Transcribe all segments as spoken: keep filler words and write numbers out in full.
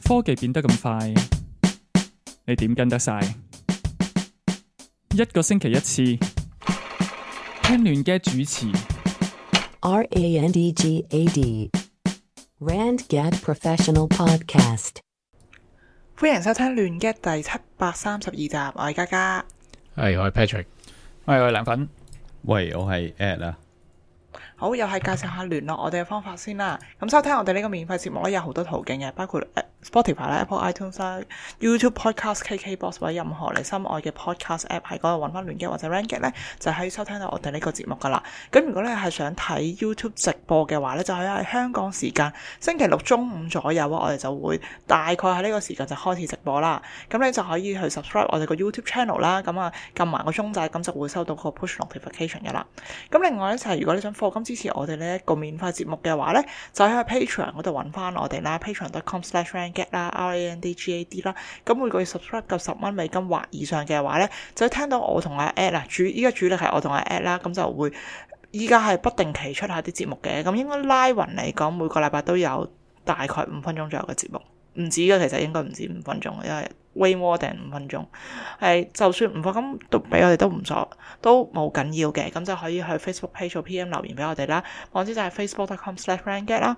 科技變得咁快，你點跟得晒？一個星期一次，聽亂嘅主持。R A N D G A D Rand Gad Professional Podcast。歡迎收聽亂 gad 第七百三十二集，我係嘉嘉，係我係 Patrick，喂，我係涼粉。喂，我係 Ed 啊。好，又係介紹下聯絡我哋嘅方法先啦。咁收聽我哋呢個免費節目咧，有好多途徑嘅，包括 Spotify 啦、Apple iTunes 啦、YouTube Podcast、K K Box 或者任何你心愛嘅 Podcast App 喺嗰度揾翻亂 gad或者 Rand Gad 咧，就可以收聽到我哋呢個節目噶啦。咁如果你係想睇 YouTube 直播嘅話咧，就可以喺香港時間星期六中午左右啊，我哋就會大概喺呢個時間就開始直播啦。咁你就可以去 subscribe 我哋個 YouTube channel 啦，咁啊撳埋個鐘仔，咁就會收到個 push notification 嘅啦。咁另外咧就係、是、如果你想課金支持我哋呢一個免費節目嘅話咧，就喺 Patreon 嗰度揾翻我哋啦 ，patreon dot com slash rand gad 啦 ，R A N D G A D 啦。咁每個月 subscribe 夠十蚊美金或以上嘅話咧，就會聽到我同阿 Ed 啦，主依家主力係我同阿 Ed 啦，咁就會依家係不定期出下啲節目嘅。咁應該拉勻嚟講，每個禮拜都有大概五分鐘左右嘅節目，唔止嘅，其實應該唔止五分鐘，因為 way more than 五分鐘。係就算唔課金都俾我哋都唔錯，都冇緊要嘅。咁就可以去 Facebook page 做 P M 留言俾我哋啦，網址就係 facebook dot com slash rand gad 啦。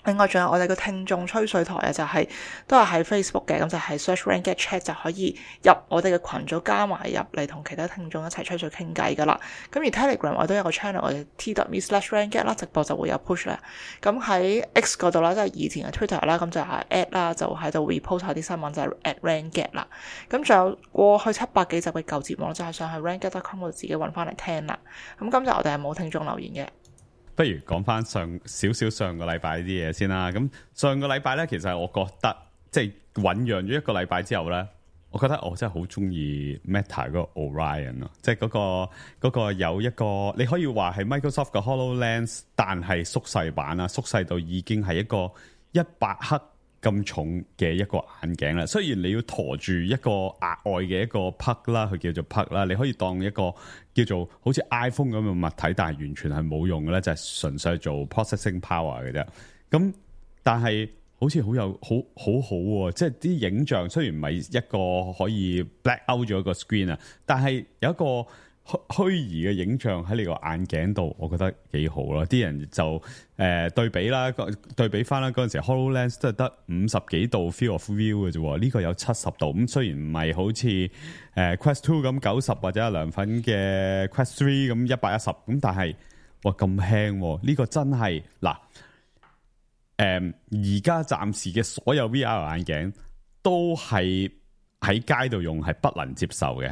另外仲有我哋個聽眾吹水台啊，就係、是、都係喺 Facebook 嘅，咁就係 search Rand Gad Chat 就可以入我哋嘅群組，加埋入嚟同其他聽眾一齊吹水傾偈噶啦。咁而 Telegram 我都有個 channel，我哋 t dot me slash rand gad 啦，直播就會有 push 啦。咁喺 X 嗰度啦，即係以前嘅 Twitter 啦，咁就係 at 啦，就喺度 repost 下啲新聞，就係 at Rand Gad 啦。咁仲有過去七百幾集嘅舊節目，就係上去 rand gad dot com 度自己揾翻嚟聽啦。咁今集我哋係冇聽眾留言嘅。不如講翻上少少上個禮拜啲嘢先啦。咁上個禮拜咧，其實我覺得即係醖釀咗一個禮拜之後咧，我覺得我真係好中意 Meta 嗰個 Orion 咯，即係嗰個嗰個有一個你可以話係 Microsoft 嘅 HoloLens， 但係縮細版啦，縮細到已經係一個一百克咁重嘅一個眼鏡啦。雖然你要駝住一個額外嘅一個 plug 啦，佢叫做 plug 啦，你可以當一個叫做好似 iPhone 咁嘅物體，但係完全係冇用嘅咧，就係、是、純粹做 processing power 嘅啫。咁但係好似好有好好好喎，即係啲影像雖然唔係一個可以 black out 咗一個 screen 啊，但係有一個虛擬嘅影像喺你個眼鏡度，我覺得幾好咯。啲人就誒、呃、對比啦，對比翻啦，嗰陣時 HoloLens 都係得五十幾度 field of view 嘅啫，呢、這個有七十度。咁雖然唔係好似誒、呃、Quest Two 咁九十或者阿涼粉嘅 Quest Three 咁一百一十，咁但係哇咁輕，呢、這個真係嗱誒而家暫時嘅所有 V R 眼鏡都係喺街度用係不能接受嘅。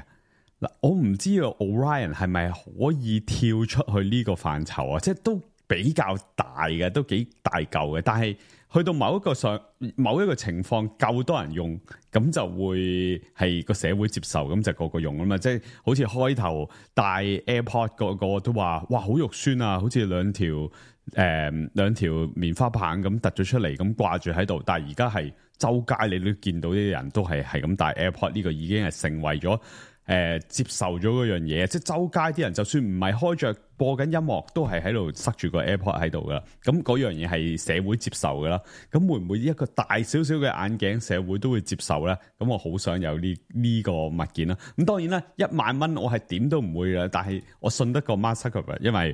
嗱，我唔知道 Orion 係咪可以跳出去呢個範疇啊？即係都比較大嘅，都幾大嚿嘅。但係去到某一個上某一個情況夠多人用，咁就會係個社會接受，咁就個個用啊嘛。即係好似開頭戴 AirPod 個個都話，哇，好肉酸啊！好似兩條誒、呃、兩條棉花棒咁突咗出嚟，咁掛住喺度。但係而家係周街你都見到啲人都係係咁戴 AirPod，呢個已經係成為咗。誒、呃、接受咗嗰樣嘢，即係周街啲人就算唔係開着播緊音樂，都係喺度塞住個 AirPod 喺度噶。咁嗰樣嘢係社會接受噶啦。咁會唔會一個大少少嘅眼鏡社會都會接受咧？咁我好想有呢呢、這個物件啦。咁當然啦，一萬蚊我係點都唔會嘅，但係我信得過 Mark Zuckerberg，因為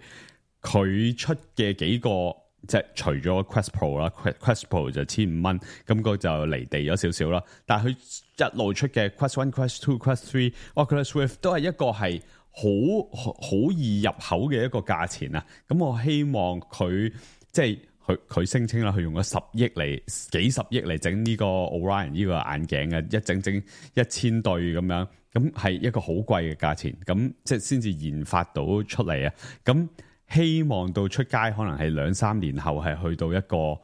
佢出嘅幾個。即係除咗 Quest Pro 啦 ，Quest Pro 就千五蚊，咁個就離地咗少少啦。但係佢一路出嘅 Quest One、Quest Two、Quest Three、Oculus Rift 都係一個係好好易入口嘅一個價錢啊。咁我希望佢即係佢佢聲稱啦，佢用咗十億嚟幾十億嚟整呢個 Orion 呢個眼鏡嘅，一整整一千對咁樣，咁係一個好貴嘅價錢，咁即係先至研發到出嚟啊。咁希望到出街可能係兩三年後係去到一個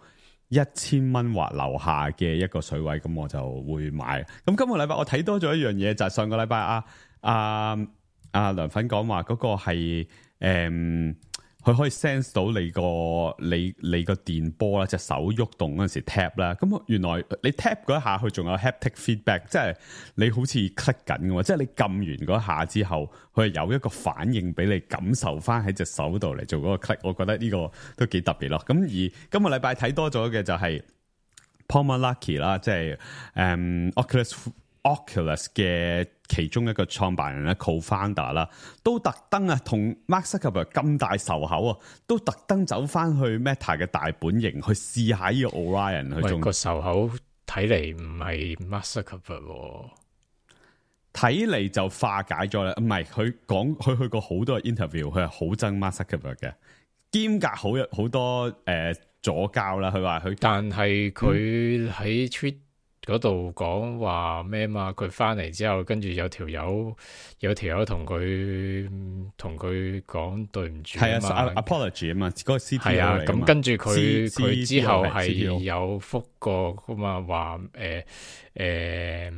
一千蚊或樓下嘅一個水位，咁我就會買。咁今個禮拜我睇多咗一樣嘢，就係、是、上個禮拜啊啊啊涼粉講話嗰個係誒佢可以 sense 到你個你你個電波啦，隻手喐動嗰陣時 tap 啦，咁原來你 tap 嗰一下佢仲有 haptic feedback， 即係你好似 click 緊嘅，即係你撳完嗰下之後，佢係有一個反應俾你感受翻喺隻手度嚟做嗰個 click， 我覺得呢個都幾特別咯。咁而今個禮拜睇多咗嘅就係 Palmer-Luckey 啦，即係誒 Oculus Oculus 嘅其中一個創辦人咧 co-founder 啦，都特登啊同 Mark Zuckerberg 咁大仇口啊，都特登走翻去 Meta 嘅大本營去試下呢個 Orion 去做個仇口，睇嚟唔係 Mark Zuckerberg。睇嚟就化解咗啦，唔係佢講佢去過好多 interview， 佢係好憎 Mark Zuckerberg 嘅，兼夾好好多誒、呃、左膠啦。佢話佢，但係佢喺 tweet 嗰度講話咩嘛？佢翻嚟之後，跟住有條友有條友同佢同佢講對唔住啊嘛 ，apology 啊嘛，嗰個 C T O 係啊，咁跟住佢 C 佢之後係 C T O 有覆過噶嘛，話誒誒。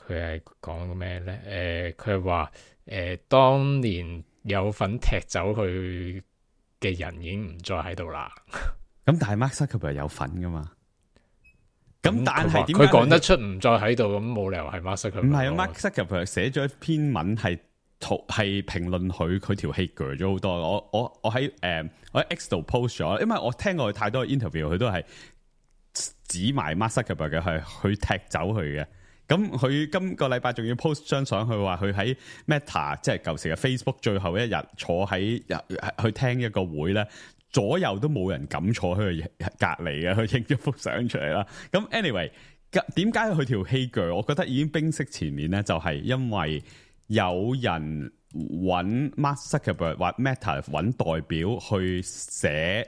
佢係講咩咧？誒、呃，佢係話誒，當年有份踢走佢嘅人已經唔再喺度啦。咁但係 Mark Zuckerberg 有份噶嘛？咁但係點？佢講得出唔再喺度，咁冇理由係 Mark Zuckerberg。唔係啊 ，Mark Zuckerberg 寫咗一篇文係圖係評論佢佢條氣鋸咗好多。我我我喺誒、呃、我喺 X 度 post 咗，因為我聽過佢太多 interview，佢都係指埋 Mark Zuckerberg 嘅係去踢走佢嘅。咁佢今個禮拜仲要 post 張相，佢話佢喺 Meta 即係舊時嘅 Facebook 最後一日坐喺去聽一個會咧，左右都冇人敢坐喺佢隔離嘅，佢影咗幅相出嚟啦。咁 anyway， 點解佢條氣鋸？我覺得已經冰釋前面咧，就係因為有人揾 Mark Zuckerberg 或 Meta 揾代表去寫，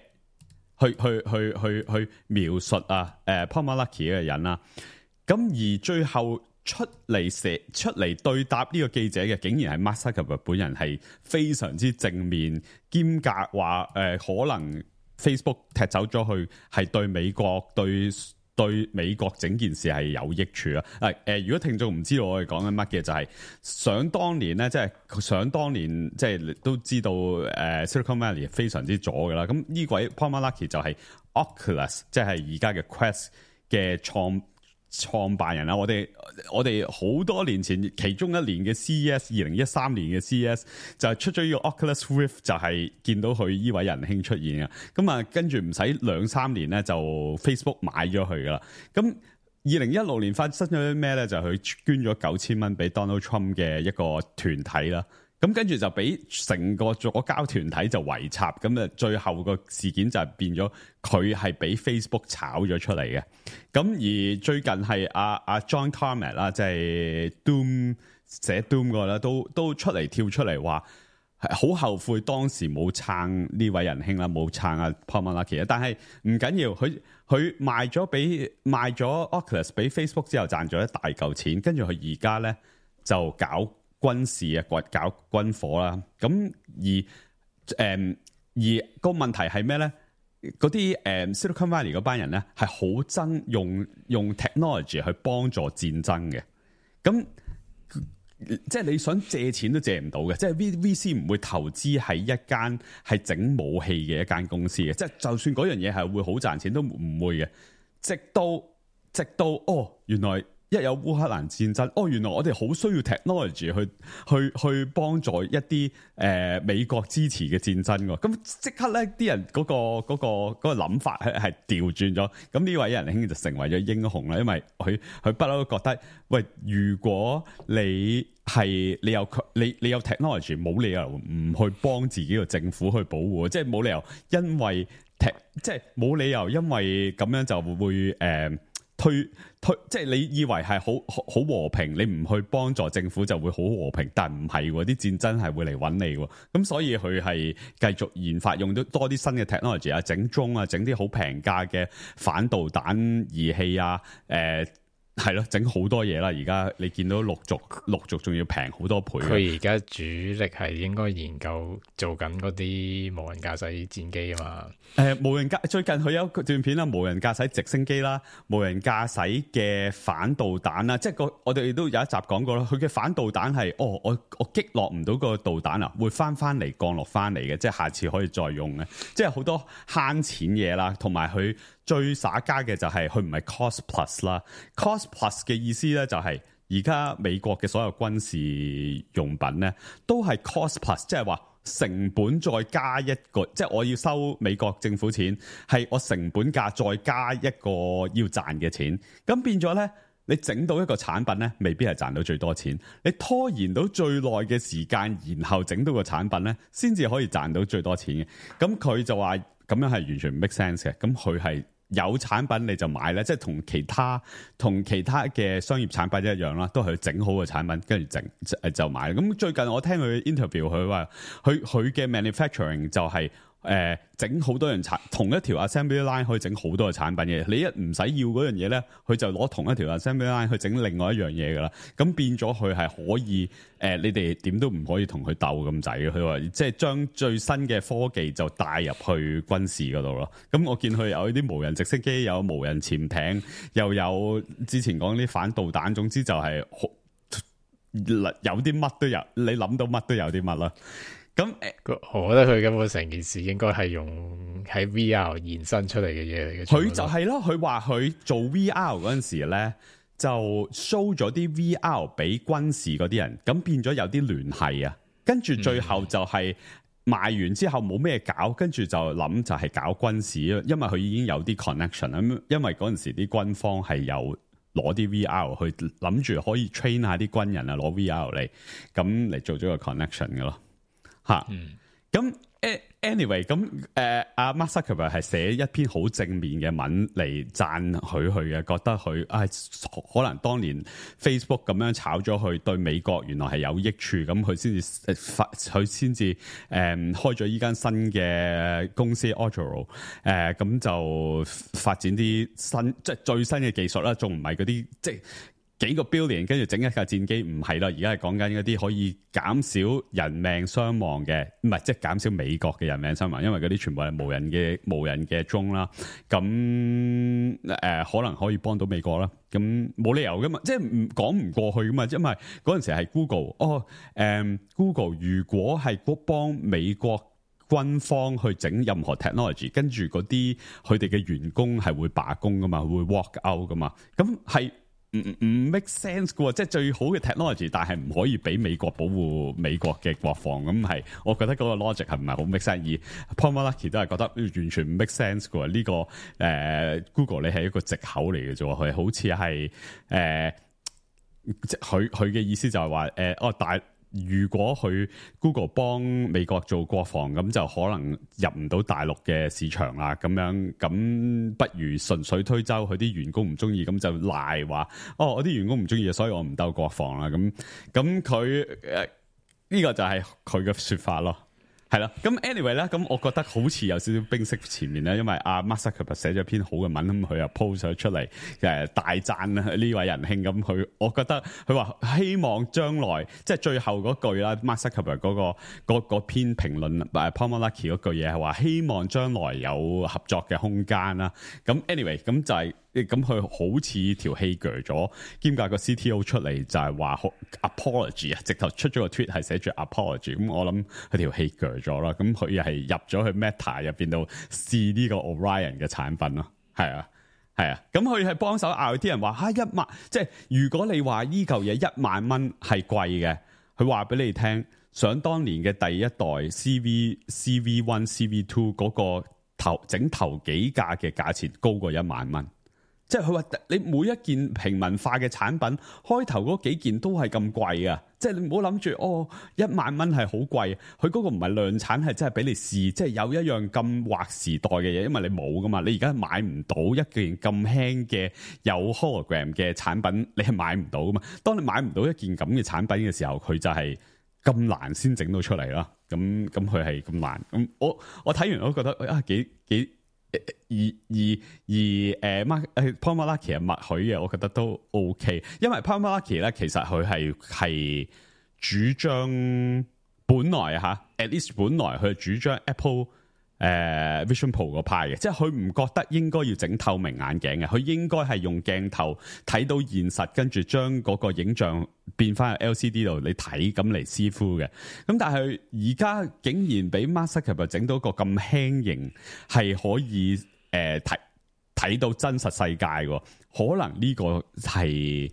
去去去去去描述啊，誒 Palmer-Luckey 嘅人啦。咁而最後出嚟寫出嚟對答呢個記者嘅，竟然係 Mark Zuckerberg 本人，係非常之正面，兼夾話誒可能 Facebook 踢走咗佢係對美國對對美國整件事係有益處啊！誒誒、呃，如果聽眾唔知道我哋講緊乜嘅，就係、是、想當年咧，即係想當年即係都知道誒、呃、Silicon Valley 非常之左噶啦。咁呢位 Palmer-Luckey 就係 Oculus， 即係而家嘅 Quest 嘅創創辦人啦，我哋我哋好多年前，其中一年嘅 C E S， 二零一三年嘅 C E S 就係出咗呢個 Oculus Rift， 就係見到佢呢位仁兄出現啊。咁啊，跟住唔使兩三年咧，就 Facebook 買咗佢噶啦。咁二零一六年發生咗啲咩咧？就係佢捐咗九千蚊俾 Donald Trump 嘅一個團體啦。咁跟住就俾成個左膠團體就圍插，咁啊最後個事件就係變咗佢係俾 Facebook 炒咗出嚟嘅。咁而最近係阿阿 John Carmack 啦，即係 Doom 寫 Doom 個啦，都都出嚟跳出嚟話係好後悔當時冇撐呢位仁兄啦，冇撐阿 Palmer-Luckey。但係唔緊要，佢佢賣咗俾賣咗 Oculus 俾 Facebook 之後賺咗一大嚿錢，跟住佢而家咧就搞軍事啊，或搞軍火啦，咁而誒、嗯、而個問題係咩咧？嗰啲誒 Silicon Valley 嗰班人咧係好憎用用 technology 去幫助戰爭嘅，咁即係你想借錢都借唔到嘅，即係 V V C 唔會投資喺一間係整武器嘅一間公司嘅，即係就算嗰樣嘢係會好賺錢都唔會嘅，直到直到哦原來。一有烏克蘭戰爭，哦，原來我哋好需要 technology 去去去幫助一啲誒、呃、美國支持嘅戰爭喎。咁即刻咧，啲人嗰、嗰個嗰、嗰個嗰、嗰個諗法係係調轉咗。咁呢位仁兄就成為咗英雄啦，因為佢佢不嬲都覺得，喂，如果你係你有你你有 technology，冇理由唔去幫自己個政府去保護，即係冇理由因為即係冇理由因為咁樣就會誒。呃推推即係你以為係好好和平，你唔去幫助政府就會好和平，但唔係喎，啲戰爭係會嚟揾你喎，咁所以佢係繼續研發，用到多啲新嘅 technology 啊，整 drone 啊，整啲好平價嘅反導彈儀器啊，誒係咯，整好多嘢啦！而家你見到陸續陸續仲要平好多倍。佢而家主力係應該研究做緊嗰啲無人駕駛戰機啊嘛。誒、呃，無人駕最近佢有段片啦，無人駕駛直升機啦，無人駕駛嘅反導彈啦，即係個我哋都有一集講過啦。佢嘅反導彈係，哦，我我擊落唔到個導彈啊，會翻翻嚟降落翻嚟嘅，即係下次可以再用嘅，即係好多慳錢嘢啦，同埋佢。最耍家嘅就係佢唔係 cost plus 啦 ，cost plus 嘅意思咧就係而家美國嘅所有軍事用品咧都係 cost plus，即係話成本再加一個，即係我要收美國政府錢，係我成本價再加一個要賺嘅錢，咁變咗咧。你整到一個產品咧，未必係賺到最多錢。你拖延到最耐嘅時間，然後整到個產品咧，先至可以賺到最多錢嘅。咁佢就話咁樣係完全唔 make sense 嘅。咁佢係有產品你就買咧，即係同其他同其他嘅商業產品一樣啦，都係整好個產品，跟住整就買。咁最近我聽佢 interview，佢話佢佢嘅 manufacturing 就係、是。誒整好多樣產同一條 assembly line 可以整好多嘅產品嘅，你一唔使要嗰樣嘢咧，佢就攞同一條 assembly line 去整另外一樣嘢噶啦。咁變咗佢係可以誒、呃，你哋點都唔可以同佢鬥咁滯嘅。佢話即係將最新嘅科技就帶入去軍事嗰度咯。咁我見佢有啲無人直升機，有無人潛艇，又有之前講啲反導彈，總之就係有啲乜都有，你諗到乜都有啲乜啦。咁我覺得佢根本成件事應該係用喺 V R 延伸出嚟嘅嘢嚟嘅。佢就係咯，佢話佢做 V R 嗰陣時咧，就 show 咗啲 V R 俾軍事嗰啲人，咁變咗有啲聯繫啊。跟住最後就係賣完之後冇咩搞，跟住就諗就係搞軍事，因為佢已經有啲 connection。咁因為嗰陣時啲軍方係有攞啲 V R 去諗住可以 train 下啲軍人啊，攞 V R 嚟咁嚟做咗個 connection 嘅咯。吓，咁、嗯、anyway，咁誒阿 Mark Zuckerberg 係寫一篇好正面嘅文嚟讚佢佢嘅，覺得佢啊、哎、可能當年 Facebook 咁樣炒咗佢，對美國原來係有益處，咁佢先至誒發，佢先至誒開咗依間新嘅公司 Otoro， 誒咁就發展啲新即係最新嘅技術啦，仲唔係嗰啲即係。幾個 billion 跟住整一架戰機唔係啦，而家係講緊一啲可以減少人命傷亡嘅，唔係即係減少美國嘅人命傷亡，因為嗰啲全部係無人嘅無人嘅 drone 啦。咁誒、呃、可能可以幫到美國啦。咁冇理由噶嘛，即係唔講唔過去噶嘛，因為嗰陣時係 Google 哦，誒、嗯、Google 如果係幫美國軍方去整任何 technology， 跟住嗰啲佢哋嘅員工係會罷工噶嘛，會 walk out 噶嘛，咁係。唔唔 make sense 嘅喎，即係最好嘅 technology， 但係唔可以俾美國保護美國嘅國防，咁係我覺得嗰個 logic 係唔係好 make sense？而 Palmer Luckey 都係覺得完全唔 make sense 嘅喎，呢、這個誒、呃、Google 你係一個藉口嚟嘅啫，佢好似係誒，即係佢佢嘅意思就係話誒哦大。如果佢 Google 幫美國做國防，咁就可能入唔到大陸嘅市場啦。咁樣咁不如順水推舟，佢啲員工唔中意，咁就賴話哦，我啲員工唔中意，所以我唔鬥國防啦。咁咁佢誒呢個就係佢嘅説法咯。係啦，咁 anyway 咧，咁我覺得好似有少少冰釋前面咧，因為阿 Mark Zuckerberg 寫咗篇好嘅文，咁佢又 post 咗出嚟，誒大讚呢位仁兄，咁佢我覺得佢話希望將來即係最後嗰句啦 ，Mark Zuckerberg 嗰、嗰個嗰篇評論誒 Palmer Luckey 嗰句嘢係話希望將來有合作嘅空間啦。咁 anyway 咁就係、係。咁佢好似條氣鋸咗，兼夾個 C T O 出嚟就係話 apology 啊，直頭出咗個 tweet 係寫住 apology。咁我諗佢條氣鋸咗啦。咁佢又係入咗去 Meta 入邊度試呢個 Orion 嘅產品咯。係啊，係啊。咁佢係幫手拗啲人話嚇一萬，即係如果你話依嚿嘢一萬蚊係貴嘅，佢話俾你聽，想當年嘅第一代 C V C V One C V Two 嗰個頭整頭幾架嘅價錢高過一萬蚊。即係佢話你每一件平民化嘅產品，開頭嗰幾件都係咁貴啊！即係你唔好諗住哦，一萬蚊係好貴，佢嗰個唔係量產，係真係俾你試，即係有一樣咁劃時代嘅嘢，因為你冇噶嘛，你而家買唔到一件咁輕嘅有 hologram 嘅產品，你係買唔到噶嘛。當你買唔到一件咁嘅產品嘅時候，佢就係咁難先整到出嚟啦。咁咁佢係咁難。咁我我睇完我都覺得啊幾幾。而而而誒 Mark 誒 Palmer Luckey 係默許嘅，我覺得都 OK，因為 Palmer Luckey 咧其實佢係係主張本來嚇 at least 本來佢係主張 Apple 誒、呃、Vision Pro 個派嘅，即係佢唔覺得應該要整透明眼鏡嘅，佢應該係用鏡頭睇到現實，跟住將嗰個影像變翻去 L C D 度你睇咁嚟師傅嘅。咁但係而家竟然俾 Mark Zuckerberg 整到個咁輕型，係可以誒睇睇到真實世界喎，可能呢個係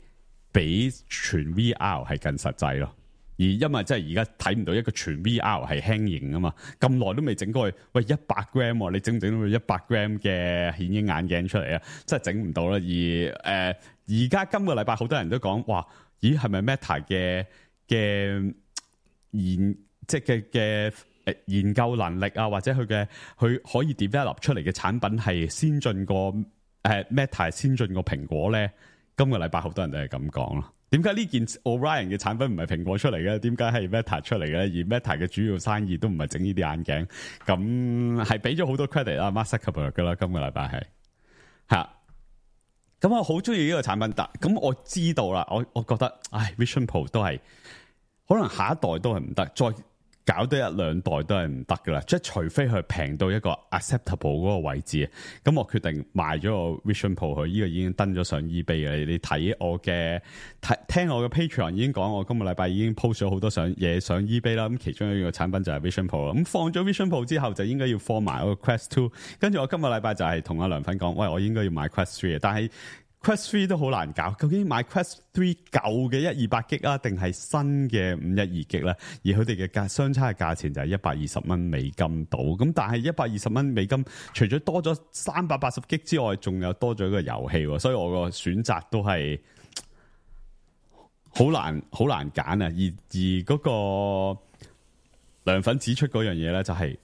比全 V R 係更實際咯。而因為即係而家睇唔到一個全 V R 係輕型啊嘛，咁耐都未整過去，喂一百 gram，你整唔整到一百 gram 嘅顯影眼鏡出嚟啊？真係整唔到啦。而誒而家今個禮拜好多人都講，哇，咦係咪 Meta 嘅嘅研即係嘅嘅誒研究能力啊，或者佢嘅佢可以 develop 出嚟嘅產品係先進過誒、呃、Meta 先進過蘋果咧？今個禮拜好多人都係咁講咯。點解呢件 Orion 嘅產品唔係蘋果出嚟嘅？點解係 Meta 出嚟嘅？而 Meta 嘅主要生意都唔係整呢啲眼鏡，咁係俾咗好多 credit 啦 Mark Zuckerberg 噶啦。今個禮拜係吓，咁我好中意呢個產品，但咁我知道啦，我我覺得，唉 ，Vision Pro 都係可能下一代都係唔得，再搞多一兩代都係唔得噶啦，即係除非佢平到一個 acceptable 嗰個位置，咁我決定賣咗個 Vision Pro 佢，呢個已經登咗上 eBay 嘅。你睇我嘅睇聽我嘅 Patreon 已經講，我今個禮拜已經 post 咗好多上嘢上 eBay 啦。咁其中一個產品就係 Vision Pro 啦。咁放咗 Vision Pro 之後，就應該要放埋我個 Quest Two。跟住我今個禮拜就係同阿梁粉講，喂，我應該要買 Quest Three 嘅，但係Quest Three 都好難搞，究竟買 Quest Three 舊嘅一二八 G 啊，定係新嘅五一二 G 咧？而佢哋嘅價相差嘅價錢就係一百二十蚊美金到，咁但係一百二十蚊美金，除咗多咗三百八十 G 之外，仲有多咗一個遊戲，所以我個選擇都係好難好難揀啊！而而嗰個梁粉指出嗰樣嘢咧，就係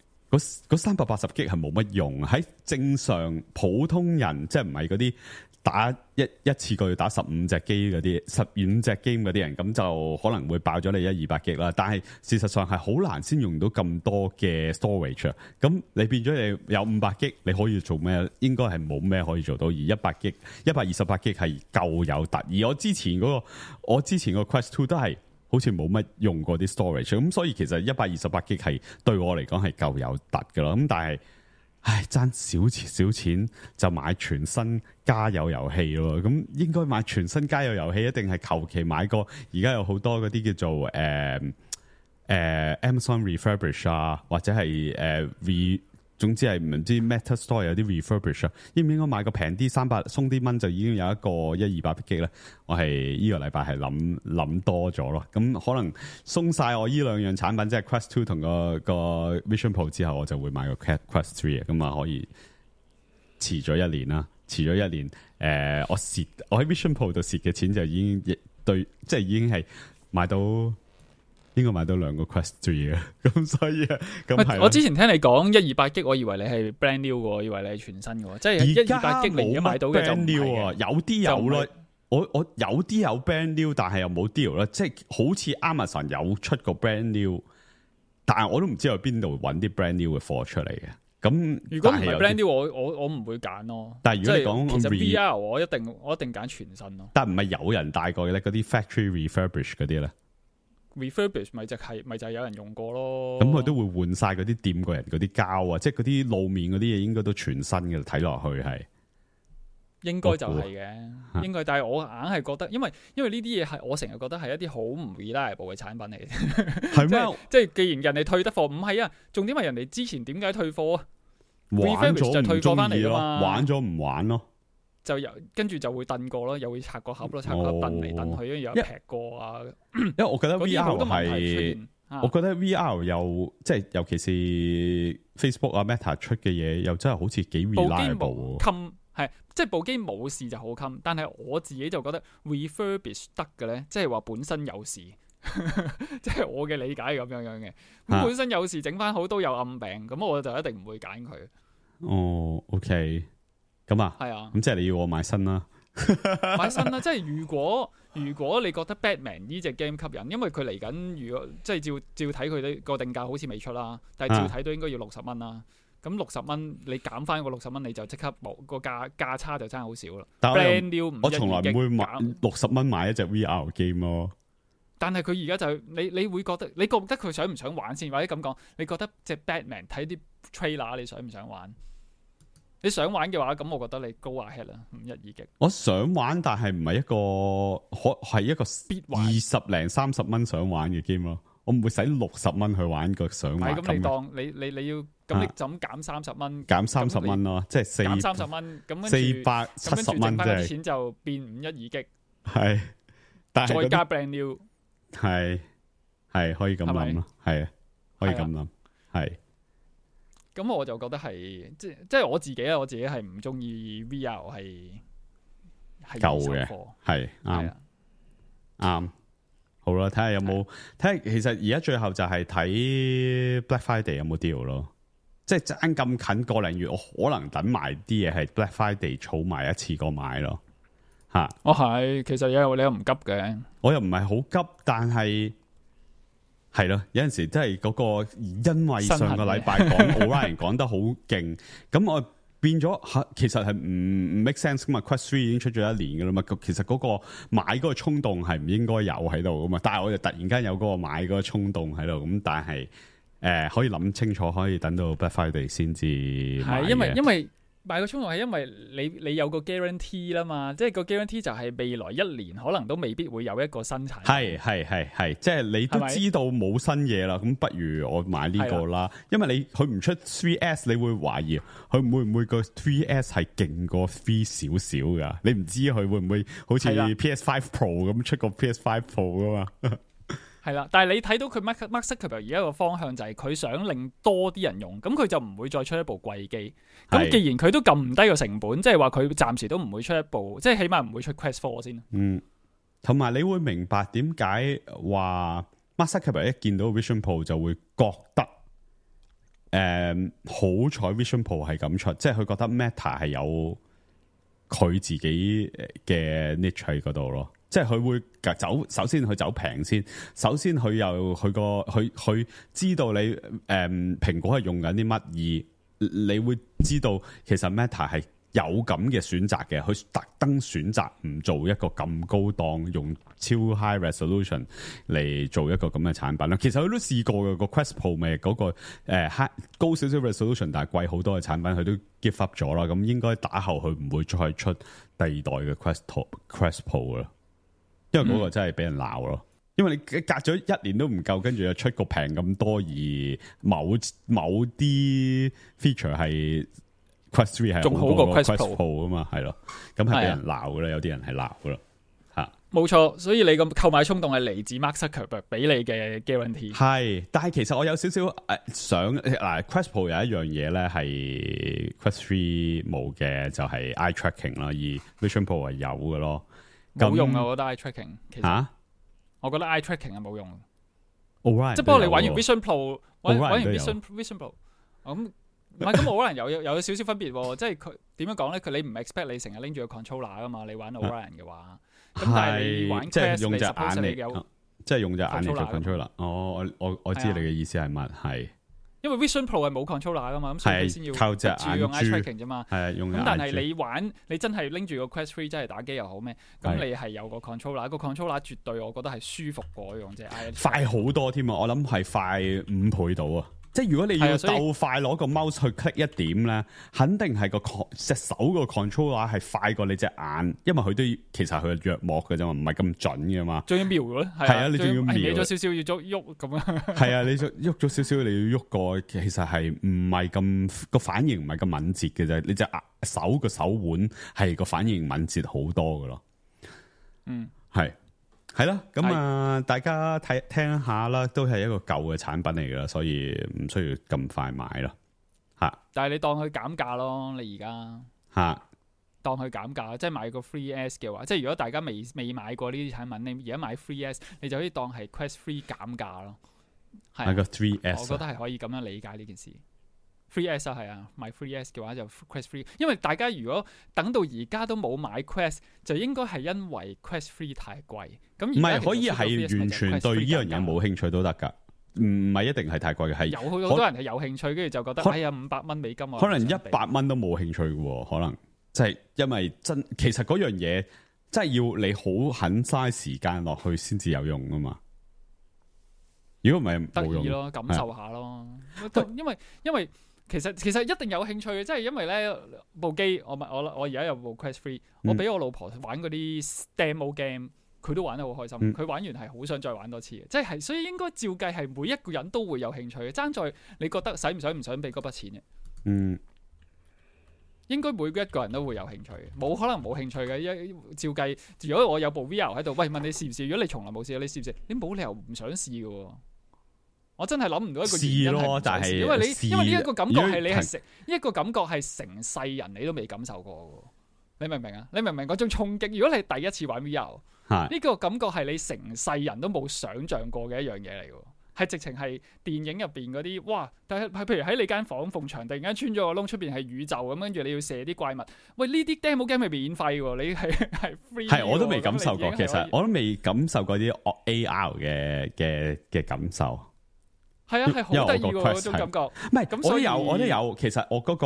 嗰三百八十 G 係冇乜用，喺正常普通人即係唔係嗰啲。打一一次過要打十五隻機嗰啲，十五隻 game 嗰啲人，咁就可能會爆咗你一二百 G 啦。但係事實上係好難先用到咁多嘅 storage。咁你變咗你有五百 G，你可以做咩？應該係冇咩可以做到。而一百 G、一百二十八 G 係夠有突。而我之前嗰、嗰個，我之前個 Quest Two 都係好似冇乜用過啲 storage。咁所以其實一百二十八 G 係對我嚟講係夠有突噶啦。咁但係。唉，爭少錢少錢就買全新家有遊戲咯，咁應該買全新家有遊戲，一定係求其買個。而家有好多嗰啲叫做誒誒、呃呃、Amazon refurbish 啊，或者係誒、呃、re，總之係唔知 Meta Store 有啲 refurbish 啊，應唔應該買個平啲三百鬆啲蚊就已經有一個一二百 G 咧？我係呢個禮拜係諗諗多咗咯，咁可能鬆晒我呢兩樣產品，即係 Quest Two 同個個 Vision Pro 之後，我就會買個 Quest Three 咁啊，可以遲咗一年啦，遲咗一年，誒、呃，我蝕我喺 Vision Pro 度蝕嘅錢就已經對，即係已經係買到。應該買到兩個 Quest Three 嘅，咁所以啊，咁係。我之前聽你講一二八 G，我以為你係 brand new 嘅，以為你係全新嘅，即係一二八 G 你而家買到嘅就唔係啊。有啲有咯，我我有啲有 brand new，但係又冇 deal 啦。即係好似 Amazon 有出個 brand new，但係我都唔知喺邊度揾啲 brand new 嘅貨出嚟嘅。咁如果唔係 brand new，我我我唔會揀咯。但係如果你講其實 V R， 我一定我一定揀全新咯。但係唔係有人帶過嘅咧？嗰啲 factory refurbish 嗰啲咧？refurbish 咪就係咪就係有人用過咯，咁佢都會換晒嗰啲掂過人嗰啲膠啊，即係嗰啲路面嗰啲嘢應該都全新嘅，睇落去係應該就係嘅，應該。但係我硬係覺得，因為因為呢啲嘢係我成日覺得係一啲好唔 reliable 嘅產品嚟嘅，係咩？即係既然人哋退得貨，唔係啊，重點係人哋之前點解退貨啊？玩咗就退貨翻嚟嘛，玩咗唔玩咯。就又跟住就會燉過咯，又會拆個盒咯，拆個盒燉嚟燉去，跟住又劈過啊。因為我覺得 V R 係，啊、我覺得 V R 又即係尤其是 Facebook 啊 Meta 出嘅嘢，又真係好似幾 reliable。冚係即係部機冇事就好冚，但係我自己就覺得 refurbish 得嘅咧，即係話本身有事，即係我嘅理解咁樣樣嘅。咁本身有事整翻好都有暗病，咁我就一定唔會揀佢。哦 ，OK。咁啊，係啊，咁即係你要我買新啦，買新啦。即係如果如果你覺得 Batman 呢隻 game 吸引，因為佢嚟緊，如果即係照照睇佢啲個定價好似未出啦，但係照睇都應該要六十蚊啦。咁六十蚊你減翻個六十蚊，你就即刻冇個價價差就真係好少啦。但係 brand new 我從來唔會買六十蚊買一隻 V R game 咯。但係佢而家就你你會覺得你覺得佢想唔想玩先，或者咁講，你覺得隻 Batman 睇啲 trailer 你想唔想玩？你想玩嘅話，咁我覺得你高下 head 啦，五一二 G。我想玩，但係唔係一個可係一個二十零三十蚊想玩嘅 game 咯。我唔會使六十蚊去玩個想玩。咁你當你你你要咁你就咁減三十蚊，減三十蚊咯，即係四減三十蚊，咁四百七十蚊，即係啲錢就變五一二 G。係，但係再加 brand new 係。係可以咁係咪諗咯，係啊，可以係啊咁諗，係咁我就覺得係即即係我自己啊，我自己係唔中意 V R 係係舊嘅二手貨係啱係啊，啱。好啦，睇下有冇睇下，其實而家最後就係睇 Black Friday 有冇 deal 咯，即係爭咁近個零月，我可能等埋啲嘢係 Black Friday 儲埋一次過買咯，吓。我係其實有你又唔急嘅，我又唔係好急，但係係咯，有陣時真係嗰個，因為上個禮拜講 Orion 講得好勁，咁我變咗吓，其實係唔唔 make sense 噶嘛。Quest three 已經出咗一年噶啦嘛，其實嗰個買嗰個衝動係唔應該有喺度噶嘛，但係我就突然間有嗰個買嗰個衝動喺度，咁但係誒、呃、可以諗清楚，可以等到 Black Friday 先至買係因為嘅因為買個衝動係因為你你有個 guarantee 啦嘛，即係個 guarantee 就係未來一年可能都未必會有一個新產品。係係係係，即係你都係咪知道冇新嘢啦，咁不如我買呢個啦。因為你佢唔出 three S， 你會懷疑佢會唔會個 three S 係勁過three 少少噶？你唔知佢會唔會好似係啦 P S five Pro 咁出個 P S five Pro 噶嘛？係啦，但係你睇到佢 Mark Mark Zuckerberg 而家個方向就係佢想令多啲人用，咁佢就唔會再出一部貴機。咁係既然佢都撳唔低個成本，即係話佢暫時都唔會出一部，即係起碼唔會出 Quest four 先。嗯，同埋你會明白點解話 Mark Zuckerberg 一見到 Vision Pro 就會覺得誒、嗯、好彩 Vision Pro 係咁出，即係佢覺得 Meta 係有佢自己嘅 niche 喺嗰度咯。即係佢會走，首先佢走平先，首先佢又佢個佢佢知道你誒、嗯、蘋果係用緊啲乜，而你會知道其實 Meta 係有咁嘅選擇嘅，佢特登選擇唔做一個咁高檔，用超 high resolution 嚟做一個咁嘅產品啦。其實佢都試過嘅，個 Quest Pro 咪嗰個誒 high 高少少 resolution，但係貴好多嘅產品，佢都 give up 咗啦。咁應該打後佢唔會再出第二代嘅 Quest Quest Pro 啦。因為嗰個真係俾人鬧咯，嗯、因為你隔咗一年都唔夠，跟住又出個平咁多，而某某啲 feature 係 Quest three 係仲好過 Quest Pro Pro 啊嘛，係咯，咁係俾人鬧噶啦，有啲人係鬧噶啦，吓，冇錯，所以你個購買衝動係嚟自 Mark Zuckerberg 俾你嘅 guarantee。係，但係其實我有少少誒想嗱 Quest Pro 有一樣嘢咧係 Quest three 冇嘅，就係 eye tracking 啦，而 Vision Pro 係有嘅咯。冇用啊！我覺得 eye tracking 其實，啊、我覺得 eye tracking 係冇用。Orion 即係不過你玩完 Vision Pro， 玩玩完 Orion Vision Vision Pro，咁唔係咁，Orion 有有有少少分別喎。即係佢點樣講咧？佢你唔 expect 你成日拎住個 controller 噶嘛？你玩 Orion 嘅話，咁、啊、但係你玩 Quest，即係用隻眼嚟，有即係用隻眼嚟做 controller controller。哦，我我我知你嘅意思係乜？係。因為 Vision Pro 係冇 controller 噶嘛，咁所以佢先要靠隻眼用 eye tracking 啫嘛。係啊，用咁但係你玩，你真係拎住個 Quest three 真係打機又好咩？咁你係有個 controller，個 controller 絕對我覺得係舒服過用隻 eye。快好多添啊！我諗係快五倍到啊！即係如果你要鬥快攞個 mouse 去 click 一點咧，肯定係個隻手個 controller 係快過你隻眼，因為佢都其實佢係弱膜嘅啫嘛，唔係咁準嘅嘛。仲要瞄咯，係啊，你仲要瞄咗少少要喐喐咁樣。係啊，你喐咗少少，你要喐過，其實係唔係咁個反應唔係咁敏捷嘅啫。你隻手個手腕係個反應敏捷好多嘅咯。嗯，係。係啦，咁啊，大家睇聽下啦，都係一個舊嘅產品嚟噶啦，所以唔需要咁快買咯，吓。但係你當佢減價咯，你而家吓當佢減價，即係買個 three S 嘅話，即係如果大家未未買過呢啲產品，你而家買 three S， 你就可以當係 Quest three 減價咯。係個 three S， 我覺得係可以咁樣理解呢件事。three S 啊，係啊，買 three S 嘅話就 Quest three， 因為大家如果等到而家都冇買 Quest， 就應該係因為 Quest three 太貴。咁唔係可以係完全對呢樣嘢冇興趣都得噶，唔係一定係太貴嘅，係有好多人係有興趣，跟住就覺得哎呀五百蚊美金啊，可能一百蚊都冇興趣嘅，可能即係因為真其實嗰樣嘢真係要你好肯嘥時間落去先至有用啊嘛。如果唔係冇用咯，感受下咯，因為因為。其實其實一定有興趣嘅，即係因為咧部機，我我我而家有部 Quest three，、嗯、我俾我老婆玩嗰啲 demo game，佢都玩得好開心。佢、嗯、玩完係好想再玩多次嘅，即係所以應該照計係每一個人都會有興趣嘅。爭在你覺得使唔使唔想俾嗰筆錢嘅？嗯，應該每一個人都會有興趣嘅，冇可能冇興趣嘅。一照計，如果我有部 V R 喺度，喂，問你試唔試？如果你從來冇試過，你試唔試？你冇理由唔想試嘅喎。我真係諗唔到一個原因係唔想試，因為你因為呢一個感覺係你係成一個感覺係成世人你都未感受過嘅。你明唔明啊？你明唔明嗰種衝擊？如果你係第一次玩 V R，呢個感覺係你成世人都冇想像過嘅一樣嘢嚟嘅，係直情係電影入邊嗰啲哇！但係譬如喺你間房縫牆突然間穿咗個窿，出邊係宇宙咁，跟住你要射啲怪物。喂，呢啲 demo game 係免費喎，你係係 free。係我都未感受過，其實我都未感受過啲 A R 嘅嘅嘅感受。係啊，係好得意喎嗰種感覺。唔係，我都有，我都有。其實我嗰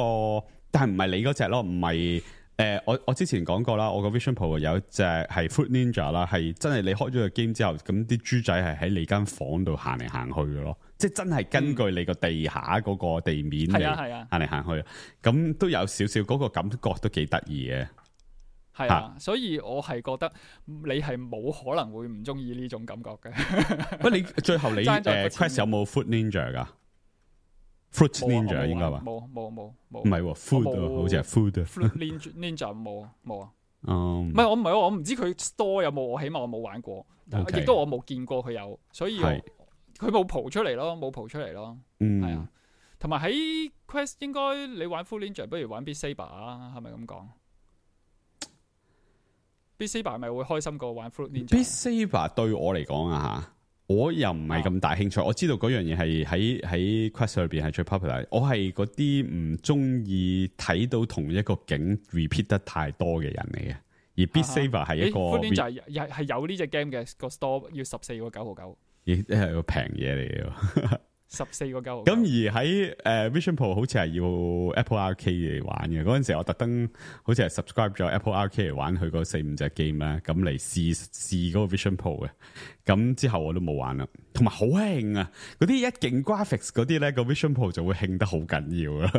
個，但係唔係你嗰隻咯，唔係。誒、呃，我我之前講過啦，我個 Vision Pro 有一隻係 Fruit Ninja 啦，係真係你開咗個 game 之後，咁啲豬仔係喺你間房度行嚟行去嘅咯，即係真係根據你個地下嗰個地面嚟行嚟行去，咁都有少少嗰個感覺都幾得意嘅。係啊，所以我係覺得你係冇可能會唔中意呢種感覺嘅。喂，你最後你誒 Quest 有冇 Fruit Ninja 噶？Fruit Ninja 應該話冇冇冇冇，唔係 food 好似係 food。Fruit Ninja 冇冇啊，唔係我唔係我唔知佢 store 有冇，我起碼我冇玩過，亦都我冇見過佢有，所以佢冇蒲出嚟咯，冇蒲出嚟咯，係啊。同埋喺 Quest 應該你玩 Fruit Ninja 不如玩 Beat Saber 啊，係咪咁講？Beat Saber 係咪會開心過玩 Fruit Ninja？Beat Saber 對我嚟講啊嚇。我又唔係咁大興趣，我知道嗰樣嘢係喺喺 Quest 裏邊係最 popular。我係嗰啲唔中意睇到同一個景 repeat 得太多嘅人嚟嘅。而 Beat Saber 係一個 Fruit Ninja 係係有呢隻 game 嘅個 store 要十四個九毫九，亦係個平嘢嚟嘅。十四個九毫。咁而喺誒、uh, Vision Pro 好似係要 Apple Arcade 嚟玩嘅。嗰陣時我特登好似係 subscribe 咗 Apple Arcade 嚟玩佢嗰四五隻 game 咧，咁嚟試試嗰個 Vision Pro 嘅。咁之後我都冇玩啦。同埋好興啊！嗰啲一勁 graphics 嗰啲咧，個 Vision Pro 就會興得好緊要啦。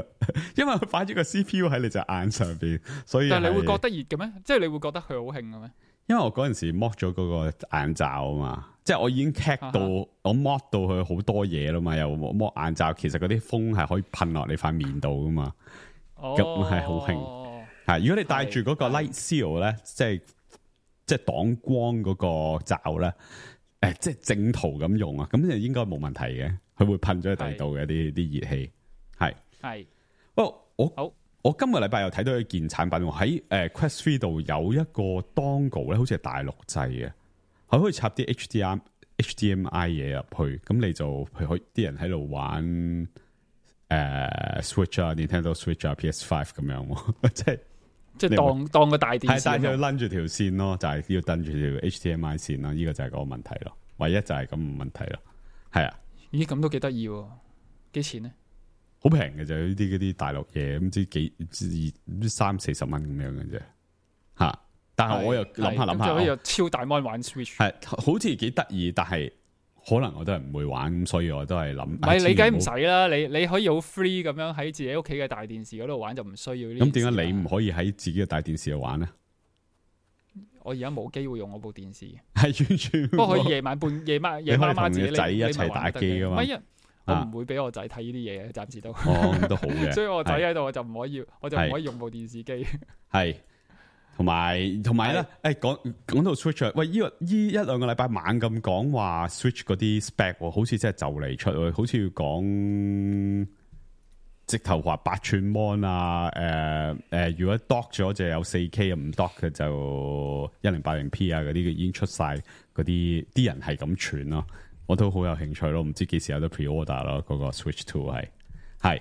因為佢擺咗個 C P U 喺你隻眼上邊，所以但係你會覺得熱嘅咩？即係你會覺得佢好興嘅咩？因為我嗰陣時剝咗嗰個眼罩啊嘛，即係我已經 cat 到、啊、我剝到佢好多嘢啦嘛，又剝眼罩，其實嗰啲風係可以噴落你塊面度噶嘛，咁係好興。係如果你戴住嗰個 Light Seal 咧，即係即係擋光嗰個罩咧，誒，即係正途咁用啊，咁就應該冇問題嘅，佢會噴咗喺第二度嘅啲啲熱氣，係係。不過我好。我今個禮拜又睇到一件產品喺誒、呃、Quest three 度有一個 dongle 咧，好似係大陸製嘅，佢可以插啲 H D M H D M I 嘢入去，咁你就譬如啲人喺度玩誒、呃、Switch 啊、Nintendo Switch 啊、P S five 咁樣，即係即係當當個大電視，係但係要攆住條線咯，就係、是、要攆住條 H D M I 線咯，呢、這個就係嗰個問題咯，唯一就係咁嘅問題咯，係啊，咦咁都幾得意喎，幾錢咧？好平嘅就呢啲嗰啲大陸嘢，唔知幾唔知三四十蚊咁樣嘅啫，吓！但係我又諗下諗下，就可以有超大 mon 玩 Switch， 係好似幾得意，但係可能我都係唔會玩，咁所以我都係諗。唔係你梗唔使啦，你你可以好 free 咁樣喺自己屋企嘅大電視嗰度玩，就唔需要呢。咁點解你唔可以喺自己嘅大電視度玩呢？我而家冇機會用我部電視，係完全。不過可以夜晚半夜晚夜媽媽自己仔一齊打機噶嘛。我唔會俾我仔睇呢啲嘢嘅，暫時都。哦，都好嘅。所以我仔喺度，我就唔可以，我就唔可以用部電視機。係，同埋同埋咧，誒，講講到 Switch，喂，呢個呢一兩個禮拜猛咁講話 Switch 嗰啲 spec，好似真係就嚟出，好似要講直頭話八寸 mon 啊，誒、呃、誒、呃，如果 dock 咗就有四 K， 唔 dock 嘅就一零八零 P 啊，嗰啲已經出晒，嗰啲啲人係咁傳咯。我都好有興趣咯，唔知幾時有得 pre-order 咯。嗰個 Switch Two 係係，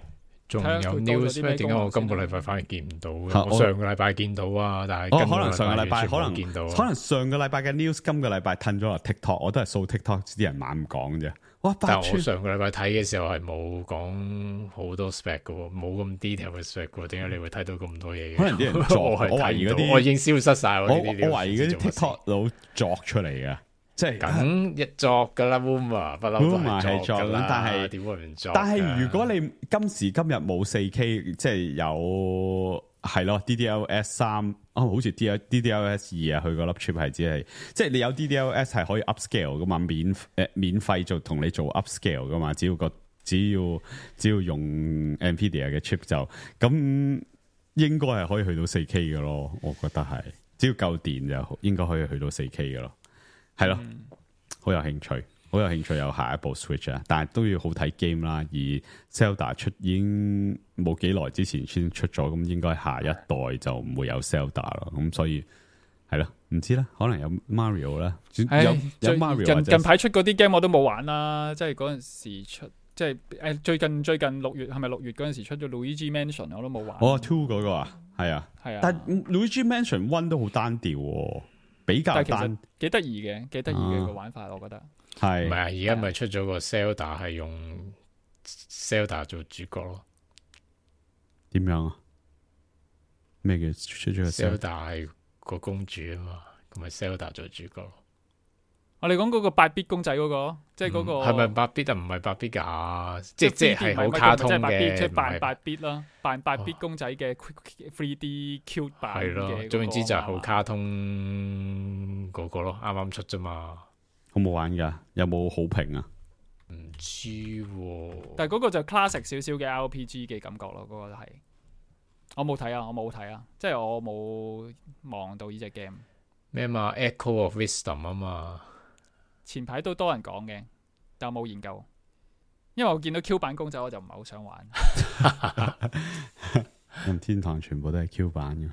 仲有 news 咩？點解我今個禮拜反而見唔到？我上個禮拜見到啊，但係哦，可能上個禮拜可能見到，可能上個禮拜嘅 news 今個禮拜褪咗落 TikTok， 我都係掃 TikTok 啲人猛咁講啫。哇！但係我上個禮拜睇嘅時候係冇講好多 spec 嘅，冇咁 detail 嘅 spec 嘅，點解你會睇到咁多嘢？可能啲人作，我懷疑嗰啲，我已經消失晒。我我懷疑嗰啲 TikTok 佬作出嚟嘅。即係梗一作噶啦 ，Uma 不嬲都係作噶啦。但係點會唔作？但係如果你今時今日冇四 K， 即係有係咯 D D L S 三哦，好似 D D L S 二啊，佢個粒 chip 係只係，即係你有 D D L S 係可以 upscale 噶嘛，免誒、呃、免費就同你做 upscale 噶嘛，只要個只要只要用 Nvidia 嘅 chip 就咁。應該係可以去到四 K 嘅咯，我覺得係，只要夠電就應該可以去到四 K 嘅咯，係咯，好、嗯、有興趣，好有興趣有下一部 Switch 啊，但係都要好睇 game 啦，而 Zelda 出已經冇幾耐之前先出咗，咁應該下一代就唔會有 Zelda 咯，咁所以係咯，唔知啦，可能有 Mario 啦，有有 Mario 近近排出嗰啲 game 我都冇玩啦，即係嗰陣時出。即係誒，最近最近六月係咪六月嗰陣時出咗 Luigi Mansion 我都冇玩。哦 ，Two 嗰個啊，係啊，係啊。但 Luigi Mansion One 都好單調，比較單，幾得意嘅，幾得意嘅個玩法，我覺得。係。唔係啊？而家咪出咗個 Zelda 係用 Zelda 做主角咯。點樣啊？咩叫出咗個 Zelda 係個公主啊嘛，咁咪 Zelda 做主角咯。我哋講嗰個八 bit 公仔嗰個，即係嗰個係咪八 bit 啊？唔係八 bit 噶，即即係好卡通嘅，即係扮八 bit 啦，扮八 bit 公仔嘅 three D cute 版嘅。係咯，總之就係好卡通嗰個咯，啱啱出啫嘛。好冇玩噶？有冇好評啊？唔知喎。但係嗰個就 classic 少少嘅 R P G 嘅感覺咯，嗰個係。我冇睇啊，我冇睇啊，即係我冇望到呢隻 game。咩嘛 ？Echo of Wisdom 啊嘛。前排都多人講嘅，但我冇研究，因為我見到 Q 版公仔我就唔係好想玩。任天堂全部都係 Q 版嘅，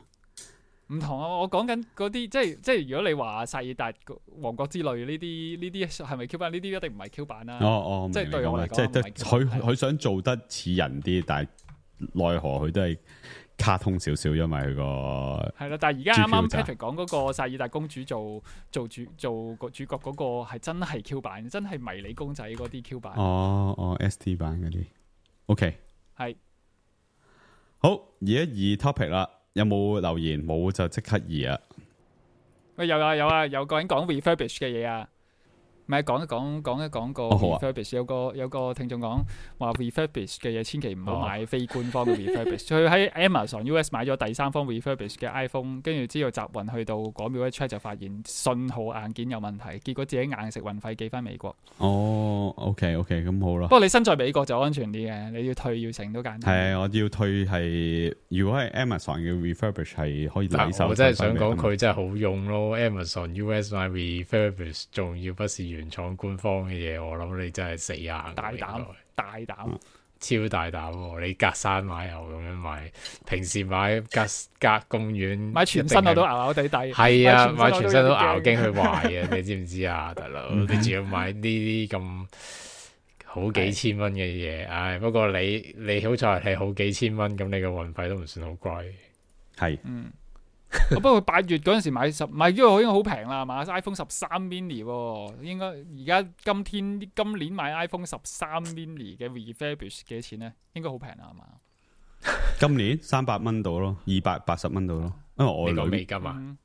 唔同啊！我講緊嗰啲，即係即係如果你話薩爾達王國之類呢啲呢啲係咪 Q 版？呢啲一定唔係 Q 版啦。哦哦，即係對我嚟講，即係佢佢想做得似人啲，但係奈何佢都係卡通少少，因為佢個係啦。但係而家啱啱 Patrick 講嗰個薩爾達公主做做主做個主角嗰個係真係 Q 版，真係迷你公仔嗰啲 Q 版。哦哦 ，S D 版嗰啲 ，OK， 係好，而家二 topic 啦，有冇留言？冇就即刻二啊！喂，有啊有啊，有個人講 refurbish 嘅嘢啊！咪講一講講一講個 refurbish，、哦啊、有個有個聽眾講話 refurbish 嘅嘢千祈唔好買非官方嘅 refurbish。佢喺 Amazon U S 買咗第三方 refurbish 嘅 iPhone， 跟住之後集運去到嗰秒一 check 就發現信號硬件有問題，結果自己硬食運費寄翻美國。哦 ，OK OK， 咁好啦。不過你身在美國就安全啲嘅，你要退要成都簡單。係，我要退係，如果係 Amazon 嘅 refurbish 係可以抵手。我真係想講佢真係好用咯 ，Amazon U S 買 refurbish 仲要不是原廠官方嘅嘢，我諗你真係死硬。大膽，大膽，超大膽喎！你隔山買牛咁樣買，平時買隔隔公園買全身我都咬咬地底。係啊，買全身都咬，驚佢壞啊！你知唔知啊，大佬？你仲要買呢啲咁好幾千蚊嘅嘢，唉！不過你你好在係好幾千蚊，咁你嘅運費都唔算好貴。係，嗯。不過八月嗰陣時買十買呢個已經好平啦，買 iPhone 十三 mini 喎，應該而家今天今年買 iPhone 十三 mini 嘅 refurbish 幾多錢呢？應該好平啦，係嘛？今年三百蚊到咯，二百八十蚊到咯，因為我女美金啊，嗯、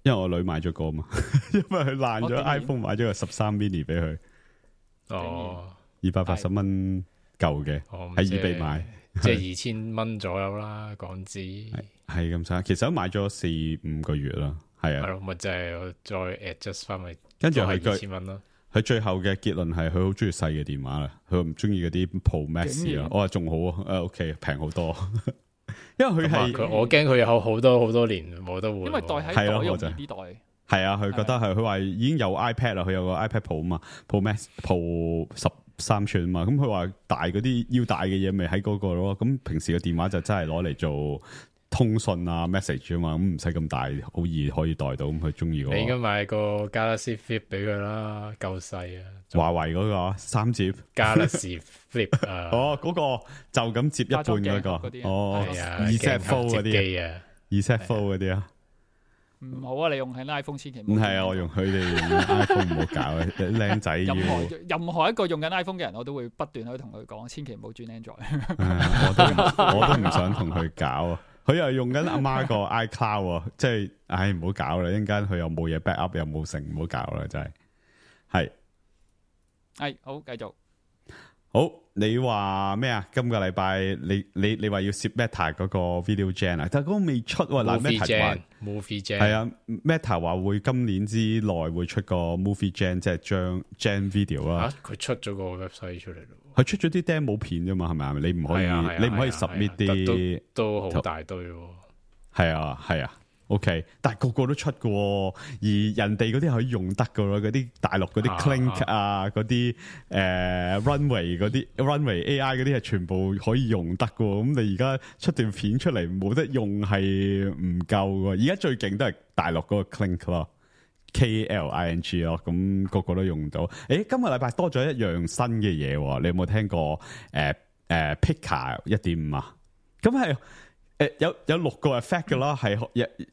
因為我女買咗個嘛，因為佢爛咗 iPhone， 買咗個十三 mini 俾佢，哦，二百八十蚊舊嘅，喺 eBay 買。即係二千蚊左右啦，港紙係咁差，其實都買咗四五個月啦，係啊，係咯，咪即係再 adjust 翻咪，跟住係二千蚊咯。佢最後嘅結論係佢好中意細嘅電話啦，佢唔中意嗰啲 Pro Max 啦。我話仲好啊，誒 OK 平好多，因為佢係佢我驚佢有好多好多年冇得換，因為袋喺袋用呢袋係啊，佢覺得係佢話已經有 iPad 啦，佢有個 iPad Pro 啊嘛 ，Pro Max Pro 十。三寸嘛，咁佢話大嗰啲要大嘅嘢咪喺嗰個咯，咁平時嘅電話就真係攞嚟做通訊啊 message 啊嘛，咁唔使咁大，好易可以袋到，咁佢中意嗰個。你應該買個 Galaxy Flip 俾佢啦，夠細啊！華為嗰個三接 Galaxy Flip 啊，哦嗰個就咁接一半嗰個，哦二 set full 嗰啲啊，二 set full 嗰啲啊。唔好啊！你用緊 iPhone 千祈唔好。唔係啊，我用佢哋用 iPhone 唔好搞啊！靚仔要任何任何一個用緊 iPhone 嘅人，我都會不斷去同佢講，千祈唔好轉 Android。我都我都唔想同佢搞啊！佢又用緊阿媽個 iCloud 啊，即係唉唔好搞啦！一陣間佢又冇嘢 backup，又冇成，唔好搞啦！真係係係好繼續。好，你話咩啊？今個禮拜你你你話要攝 Meta 嗰個 video gen 啊，但係嗰個未出喎。嗱 Movie Meta 話 Gen，Movie Gen 係啊 ，Meta 話會今年之內會出個 movie gen，即係將 gen video 啦。嚇，佢出咗個 website 出嚟咯。佢出咗啲 demo 片啫嘛，係咪？你唔可以，係啊係啊你唔可以係啊 submit 係啊啲，都都好大堆喎。係啊係啊。OK，但係個個都出嘅喎，而人哋嗰啲可以用得嘅咯，嗰啲大陸嗰啲 Clink 啊，嗰啲誒 Runway 嗰啲 Runway A I 嗰啲係全部可以用得嘅喎。咁你而家出段片出嚟冇得用係唔夠嘅。而家最勁都係大陸嗰個 Clink 咯 ，K L I N G 咯，咁個個都用到。誒，今個禮拜多咗一樣新嘅嘢喎，你有冇聽過？誒、呃、誒、呃、Pika 一點五啊？咁係。誒，有有六個 effect 嘅啦，係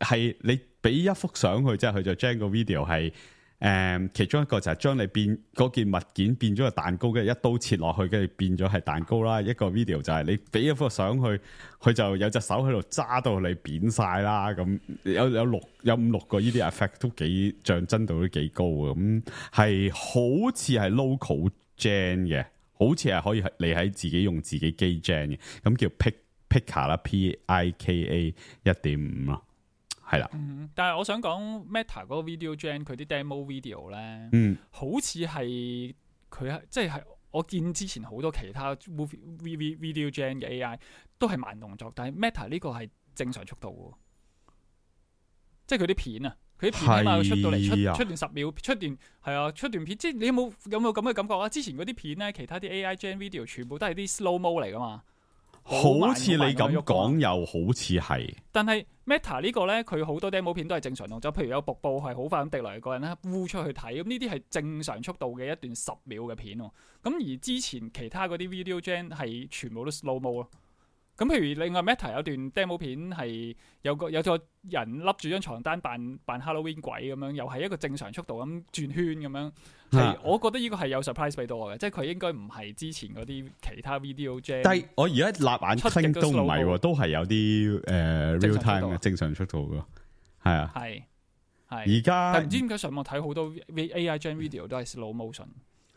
係你俾一幅相佢，即係佢就將個 video 係誒、嗯，其中一個就係將你變嗰件物件變咗個蛋糕，跟住一刀切落去，跟住變咗係蛋糕啦。一個 video 就係你俾一幅相佢，佢就有隻手喺度揸到你扁晒啦。咁有有六有五六個呢啲 effect 都幾象真度都幾高嘅，咁係好似係 local gen 嘅，好似係可以你喺自己用自己機 gen 嘅，咁叫 pick。Pika 啦 ，P I K A 一點五啦，係啦。嗯，但係我想講 Meta 嗰個 video gen 佢啲 demo video 咧，嗯，好似係佢係即係我見之前好多其他 movie video gen 嘅 A I 都係慢動作，但係 Meta 呢個係正常速度嘅，即係佢啲片啊，佢啲片起碼出到嚟出出段十秒，出段係啊，出段片，即係你有冇有冇咁嘅感覺啊？之前嗰啲片咧，其他啲 A I gen video 全部都係啲 slow mo 嚟噶嘛。好似你咁講，又好似係。但係 Meta 呢個咧，佢好多 demo 片都係正常動作，譬如有瀑布係好快咁滴落嚟，個人咧烏出去睇，咁呢啲係正常速度嘅一段十秒嘅片。咁而之前其他嗰啲 video gen 係全部都 slow mo 咯。咁譬如另外 Meta 有段 demo 片係有個有個人笠住張床單扮扮 Halloween 鬼咁樣，又係一個正常速度咁轉圈咁樣。係、啊，我覺得呢個係有 surprise 俾到我嘅，即係佢應該唔係之前嗰啲其他 video gen。但係我而家立眼 Clink 都唔係喎，都係有啲誒、呃、real time 嘅正常速度嘅，係啊。係係。而家但唔知點解上網睇好多 A I gen video 都係 slow motion。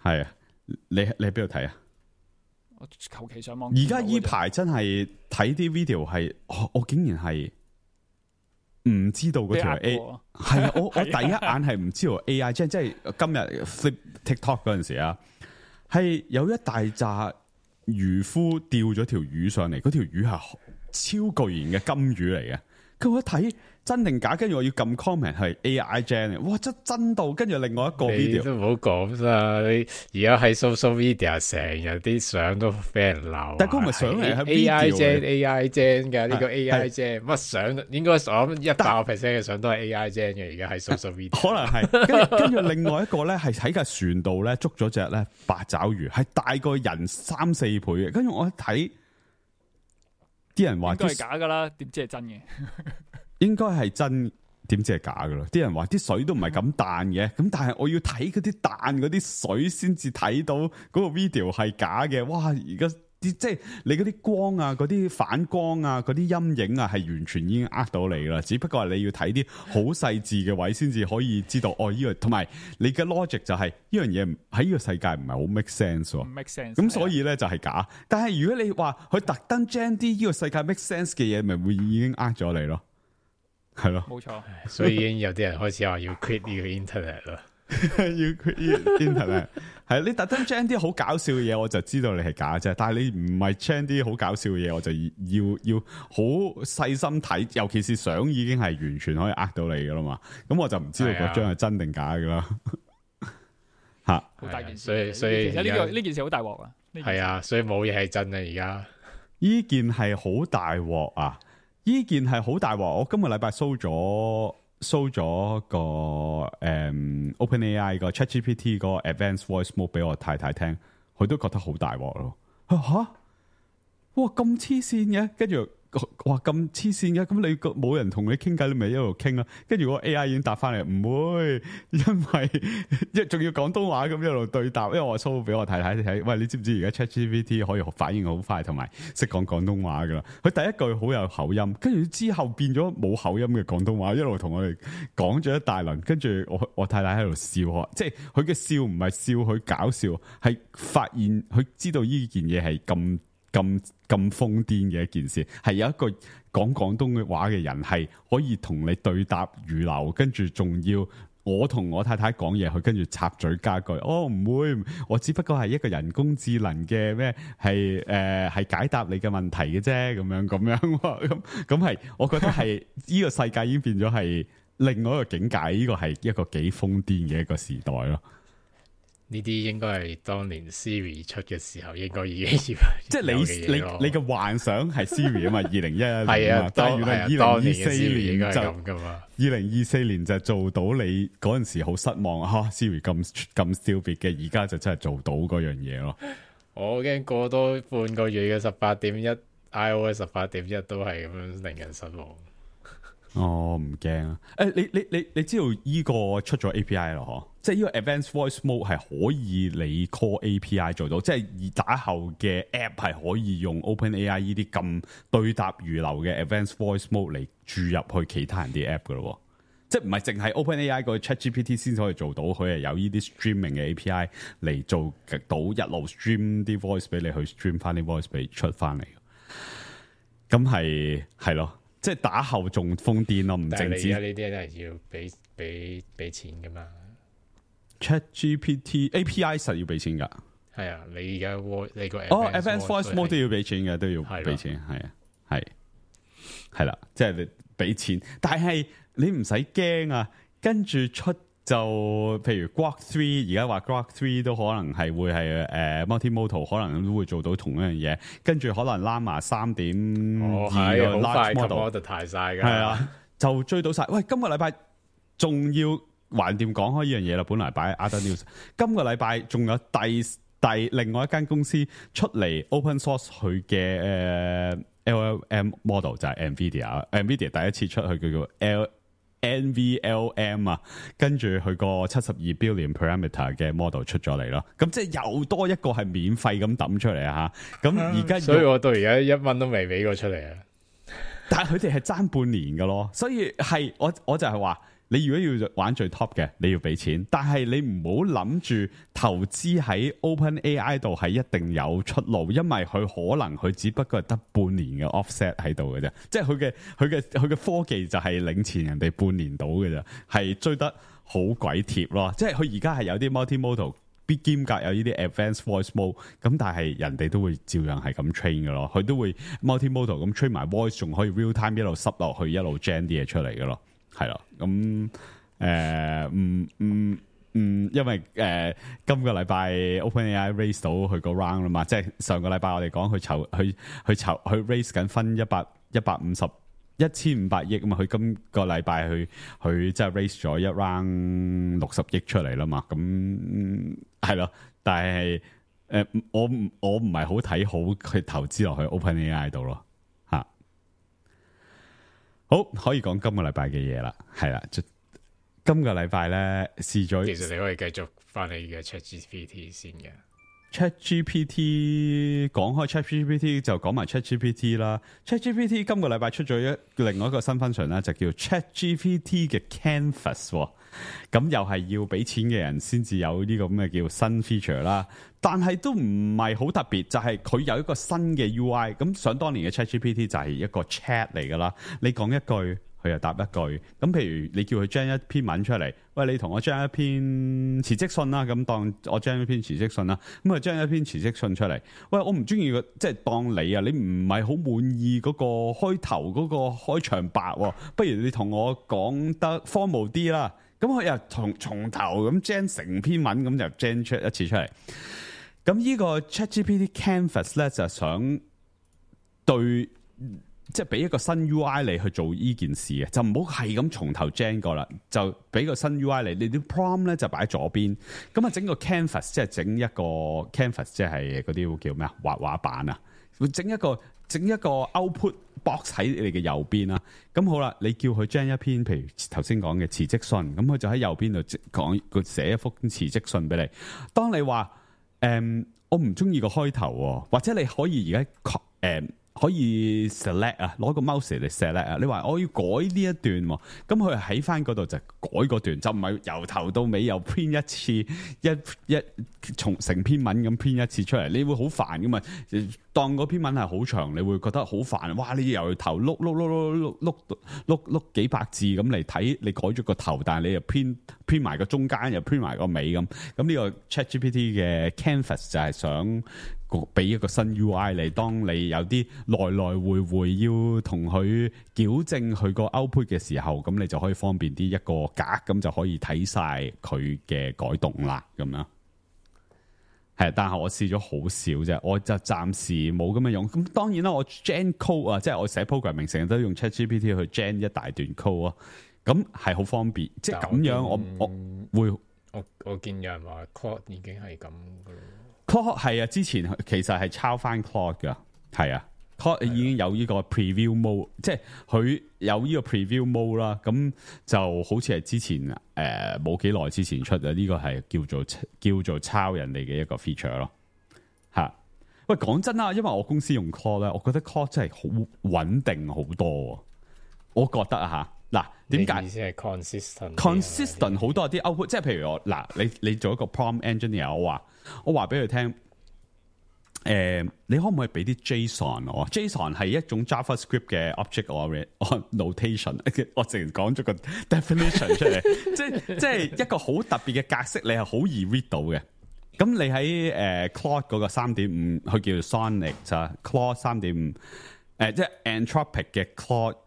係啊，你你喺邊度睇啊？我求其上網。而家依排真係睇啲 video 係，我我竟然係唔知道嗰條 A 係啊！我我第一眼係唔知道 A I 即係即係今日 flip TikTok 嗰陣時啊，係有一大紮漁夫釣咗條魚上嚟，嗰條魚係超巨型嘅金魚嚟嘅。佢我一睇真定假，跟住我要撳 comment 係 A I gen 嘅，哇真真到，跟住另外一個 video 你都唔好講啦，你而家喺 social media 成日啲相都俾人鬧，但係嗰個唔係相嚟，係 A I gen A I gen 嘅呢個 A I gen 乜相？應該我諗一百個 percent 嘅相都係 A I gen 嘅，而家喺 social media 可能係，跟住跟住另外一個咧係喺架船度咧捉咗隻咧八爪魚，係大過人三四倍嘅，跟住我一睇。啲人話都係假噶啦，點知係真嘅？應該係真，點知係假噶咯？啲人話啲水都唔係咁彈嘅，咁但係我要睇嗰啲彈嗰啲水先至睇到嗰個 video 係假嘅。哇！而家啲即係你嗰啲光啊、嗰啲反光啊、嗰啲陰影啊，係完全已經呃到你啦。只不過係你要睇啲好細緻嘅位先至可以知道哦。呢、這個同埋你嘅 logic 就係、是、呢樣嘢喺呢個世界唔係好 make sense 喎。make sense。咁所以咧就係假。但係如果你話佢特登將啲呢個世界 make sense 嘅嘢，咪會已經呃咗你咯。係咯，冇錯。所以已經有啲人開始話要 quit 呢個 internet 啦。要 quit internet 係你特登將啲好搞笑嘅嘢，我就知道你係假啫。但係你唔係將啲好搞笑嘅嘢，我就要要好細心睇，尤其是相已經係完全可以呃到你噶啦嘛。咁我就唔知道嗰張係真定假噶啦。吓，好大件事。所以所以其實呢個呢件事好大鑊啊。係啊，所以冇嘢係真啊。而家呢件係好大鑊啊！呢件係好大鑊。我今個禮拜 show 咗 show 咗個誒、嗯、OpenAI 個 ChatGPT 個 Advanced Voice Mode 俾我太太聽，佢都覺得好大鑊咯。吓，哇咁黐線嘅，跟住哇咁黐線嘅，咁你冇人同你傾偈，你咪一路傾啦。跟住個 A I 已經答翻嚟，唔會，因為一仲要廣東話咁一路對答。因為我 show 俾我太太睇，喂，你知唔知而家 ChatGPT 可以反應好快，同埋識講廣東話噶啦？佢第一句好有口音，跟住之後變咗冇口音嘅廣東話，一路同我哋講咗一大輪。跟住我我太太喺度笑，即係佢嘅笑唔係笑佢搞笑，係發現佢知道呢件嘢係咁。咁咁瘋癲嘅一件事，係有一個講廣東嘅話嘅人係可以同你對答如流，跟住仲要我同我太太講嘢，佢跟住插嘴加句，哦唔會，我只不過係一個人工智能嘅咩，係誒係解答你嘅問題嘅啫，咁樣咁樣，咁咁係，我覺得係呢個世界已經變咗係另外一個境界，呢個係一個幾瘋癲嘅一個時代咯。呢啲應該係當年 Siri 出嘅時候應該已經要，即係你你你嘅幻想係 Siri 啊嘛，二零一一年係啊，但係原來二零二四年就咁噶嘛，二零二四年就做到你嗰陣時好失望吓、啊、Siri 咁咁 stupid 嘅，而家就真係做到嗰樣嘢咯。我驚過多半個月嘅十八點一 iOS 十八點一都係咁樣令人失望。哦，唔驚啊！誒，你你你你知道依個出咗 A P I 咯？嗬，即係呢個 Advanced Voice Mode 係可以你 call A P I 做到，即係而打後嘅 App 係可以用 OpenAI 呢啲咁對答如流嘅 Advanced Voice Mode 嚟注入去其他人啲 App 噶咯。即係唔係淨係 OpenAI 個 ChatGPT 先可以做到，佢係有呢啲 streaming 嘅 A P I 嚟做到一路 stream 啲 voice 俾你去 stream 翻啲 voice 俾出翻嚟。咁係係咯。即係打後仲瘋癲咯，唔淨止。但係你而家呢啲都係要俾俾俾錢噶嘛 ？ChatGPT A P I 實要俾錢噶。係啊，你而家你個哦 Advanced Voice Mode 都要俾錢嘅，都要俾錢，係啊，係係啦，即係你俾錢，但係你唔使驚啊，跟住出。就譬如 Grok three 而家話 Grok three 都可能係會係誒 multimodal 可能都會做到同一樣嘢，跟住可能 Llama 三點二個 large model 太晒㗎，係啊，就追到晒。喂，今個禮拜仲要橫掂講開呢樣嘢啦，本來擺 Other News， 今個禮拜仲有第第另外一間公司出嚟 open source 佢嘅誒 L L M model 就係 Nvidia，Nvidia 第一次出去叫做 L。N V L M 啊，跟住佢個七十二 billion parameter 嘅 model 出咗嚟咯，咁即係又多一個係免費咁抌出嚟啊！吓，咁而家所以我到而家一蚊都未俾過出嚟啊！但係佢哋係爭半年噶咯，所以係我我就係話，你如果要玩最 top 嘅，你要俾錢，但係你唔好諗住投資喺 OpenAI 度係一定有出路，因為佢可能佢只不過係得半年嘅 offset 喺度嘅啫，即係佢嘅佢嘅佢嘅科技就係領前人哋半年到嘅啫，係追得好鬼貼咯。即係佢而家係有啲 multimodal 必兼隔有呢啲 advanced voice mode， 咁但係人哋都會照樣係咁 train 嘅咯，佢都會 multimodal 咁 train 埋 voice， 仲可以 real time 一路塞落去一路 gen 啲嘢出嚟嘅咯。係咯，咁誒，嗯嗯嗯，因為誒、呃、今個禮拜 OpenAI raise 到佢個 round 啦嘛，即係上個禮拜我哋講佢籌，佢佢籌，佢 raise 緊分一百一百五十一千五百億啊嘛，佢今個禮拜佢佢即係 raise 咗一 round 六十億出嚟啦嘛，咁係咯，但係誒、呃、我我唔係好睇好佢投資落去 OpenAI 度咯。好，可以講今個禮拜嘅嘢啦，係啦，今個禮拜咧試咗，其實你可以繼續翻你嘅 ChatGPT 先嘅。ChatGPT 講開 ChatGPT 就講埋 ChatGPT 啦。ChatGPT 今個禮拜出咗一另外一個新 function 咧，就叫 ChatGPT 嘅 Canvas，咁又係要俾錢嘅人先至有呢個咁嘅叫新 feature 啦。但係都唔係好特別，就係、是、佢有一個新嘅 U I。咁想當年嘅 ChatGPT 就係一個 chat 嚟噶啦，你講一句，佢又答一句。咁譬如你叫佢 generate 一篇文出嚟，喂，你同我 generate 一篇辭職信啦，咁當我 generate 一篇辭職信啦，咁啊 generate 一篇辭職信出嚟。喂，我唔中意個，即係當你啊，你唔係好滿意嗰個開頭嗰個開場白，不如你同我講得 formal 啲啦。咁佢又從從頭咁 gen 成篇文，咁就 gen 出一次出嚟。咁呢個 ChatGPT Canvas 咧就想對，即係俾一個新 U I 你去做呢件事嘅，就唔好係咁從頭 gen 過啦，就俾個新 U I 你，你啲 prompt 咧就擺喺左邊，咁啊整個 Canvas 即係整一個 Canvas 即係嗰啲叫咩啊，畫畫板啊，會整一個整一個 output box 喺你嘅右邊啦。咁好啦，你叫佢 gen 一篇，譬如頭先講嘅辭職信，咁佢就喺右邊度講佢寫一封辭職信俾你。當你話誒、嗯、我唔中意個開頭，或者你可以而家誒可以 select 啊，攞個 mouse 嚟 select 啊。你話我要改呢一段，咁佢喺翻嗰度就改嗰段，就唔係由頭到尾又 print 一次，一一從成篇文咁 print 一次出嚟，你會好煩噶嘛。當嗰篇文係好長，你會覺得好煩。哇！你由頭碌碌碌碌碌碌碌碌幾百字咁嚟睇，你改咗個頭，但係你又 print print 埋個中間，又 print 埋個尾咁。咁呢個 ChatGPT 嘅 Canvas 就係想俾一個新 U I 你，當你有啲來來回回要同佢矯正佢個 output 嘅時候，咁你就可以方便啲一,一個格，咁就可以睇晒佢嘅改動啦，咁樣。係，但係我試咗好少啫，我就暫時冇咁樣用。咁當然啦，我 gen code 啊，即係我寫 programming 成日都用 ChatGPT 去 gen 一大段 code 啊，咁係好方便。即係咁樣我，我我會我我見有人話 Claude 已經係咁噶咯。Claude 係啊，之前其實係抄翻 Claude 噶，係啊。Claude 已經有呢個 preview mode，即係佢有呢個 preview mode 啦。咁就好似係之前誒冇幾耐之前出嘅，呢個係叫做叫做抄人哋嘅一個 feature 咯。嚇，喂，講真啦，因為我公司用 Claude 咧，我覺得 Claude 真係好穩定好多。我覺得啊嚇，嗱點解？意思係 consistent consistent 好多啲 output，即係譬如我嗱，你你做一個 prompt engineer，我話我話俾佢聽。誒、呃，你可唔可以俾啲 JSON 我 ？JSON 係一種 JavaScript 嘅 object or notation。我直然講咗個 definition 出嚟，即係即係一個好特別嘅格式，你係好易 read 到嘅。咁你喺誒、呃、Claude 嗰個三點五，佢叫做 Sonnet 就 Claude 三點五，誒即係 Anthropic 嘅 Claude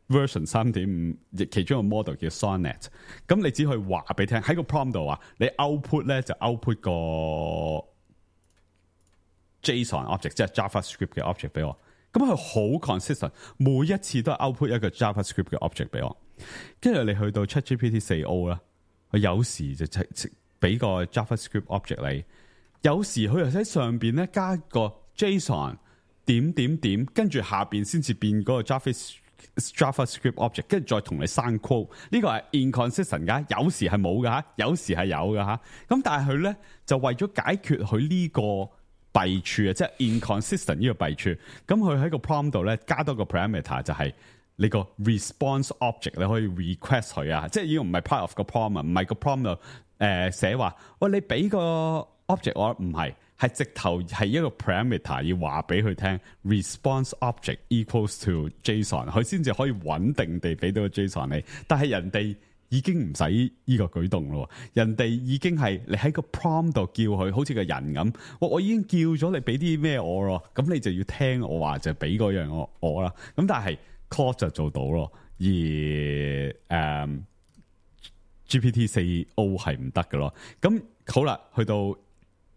version 三點五，其中一個 model 叫 Sonnet。咁你只可以話俾聽喺個 prompt 度話，你 output 咧就 output 個JSON object 即係 JavaScript 嘅 object 俾我，咁佢好 consistent，每一次都係 output 一個 JavaScript 嘅 object 俾我。跟住你去到 ChatGPT 四 O 啦，佢有時就俾個 JavaScript object 你，有時佢又喺上邊咧加個 JSON 點點點，跟住下邊先至變嗰個 JavaScript JavaScript object， 跟住再同你生 quote。呢個係 inconsistent 噶，有時係冇噶吓，有時係有噶吓。咁但係佢咧就為咗解決佢呢個弊處啊，即係 inconsistent 呢個弊處，咁佢喺個 prompt 度咧加多個 parameter 就係你個 response object，你可以 request 佢啊，即係呢個唔係 part of 個 prompt 啊，唔係個 prompt 度誒寫話，喂，你俾個 object 我，唔係，係直頭係一個 parameter 要話俾佢聽 response object equals to JSON， 佢先至可以穩定地俾到個 JSON 你，但係人哋已經唔使呢個舉動咯，人哋已經係你喺個 prompt 度叫佢，好似個人咁。我我已經叫咗你俾啲咩我咯，咁你就要聽我話就俾嗰樣我我啦。咁但係 Claude 就做到咯，而誒、um, G P T 四 O 係唔得嘅咯。咁好啦，去到誒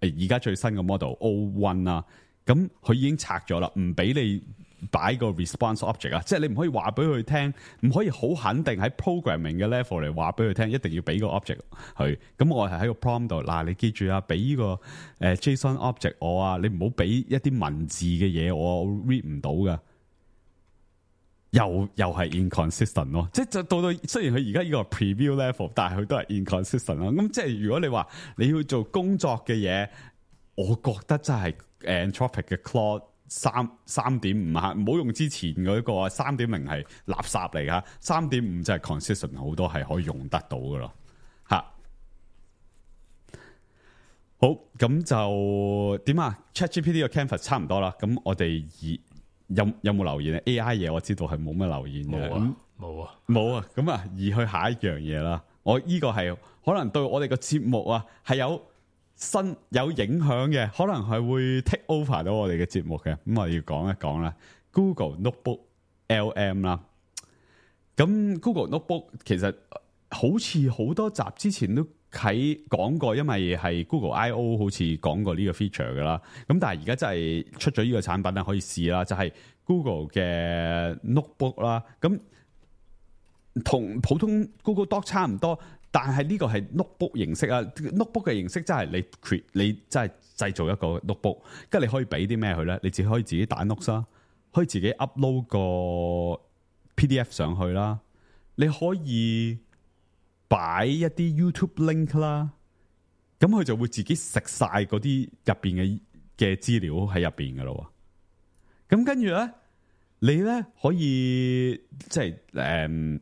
而家最新嘅 model O 一 啦，咁佢已經拆咗啦，唔俾你擺個 response object 啊，即係你唔可以話俾佢聽，唔可以好肯定喺 programming 嘅 level 嚟話俾佢聽，一定要俾個 object 佢。咁我係喺個 prompt 度，嗱，你記住啊，俾呢個誒 JSON object 我啊，你唔好俾一啲文字嘅嘢我，我 read 唔到噶。又又係 inconsistent 咯，即係就到到雖然佢而家呢個 preview level，但係佢都係 inconsistent 咯。咁即係如果你話你要做工作嘅嘢，我覺得真係 Anthropic 嘅 Claude。三三點五吓，唔好用之前嗰個三點零係垃圾嚟噶，三點五就係 consistent 好多係可以用得到噶咯吓。好，咁就點啊 ？ChatGPT 嘅 Canvas 差唔多啦，咁我哋而有有冇留言啊 ？A I 嘢我知道係冇乜留言嘅，冇啊，冇啊，冇啊，咁啊，移去下一樣嘢啦。我呢個係可能對我哋個節目啊係有。新有影響嘅，可能係會 take over 到我哋嘅節目嘅，咁我要講一講啦。Google Notebook L M 啦，咁 Google Notebook 其實好似好多集之前都喺講過，因為係 Google I O 好似講過呢個 feature 噶啦。咁但係而家真係出咗呢個產品咧，可以試啦，就係、是、Google 嘅 Notebook 啦。咁同普通 Google Doc 差唔多，但係呢個係 notebook 形式啊 ，notebook 嘅形式真係你 create 你真係製造一個 notebook， 跟住你可以俾啲咩佢咧？你自己可以自己打 notes 啦，可以自己 upload 個 P D F 上去啦，你可以擺一啲 YouTube link 啦，咁佢就會自己食晒嗰啲入邊嘅嘅資料喺入邊噶咯。咁跟住咧，你咧可以即係誒。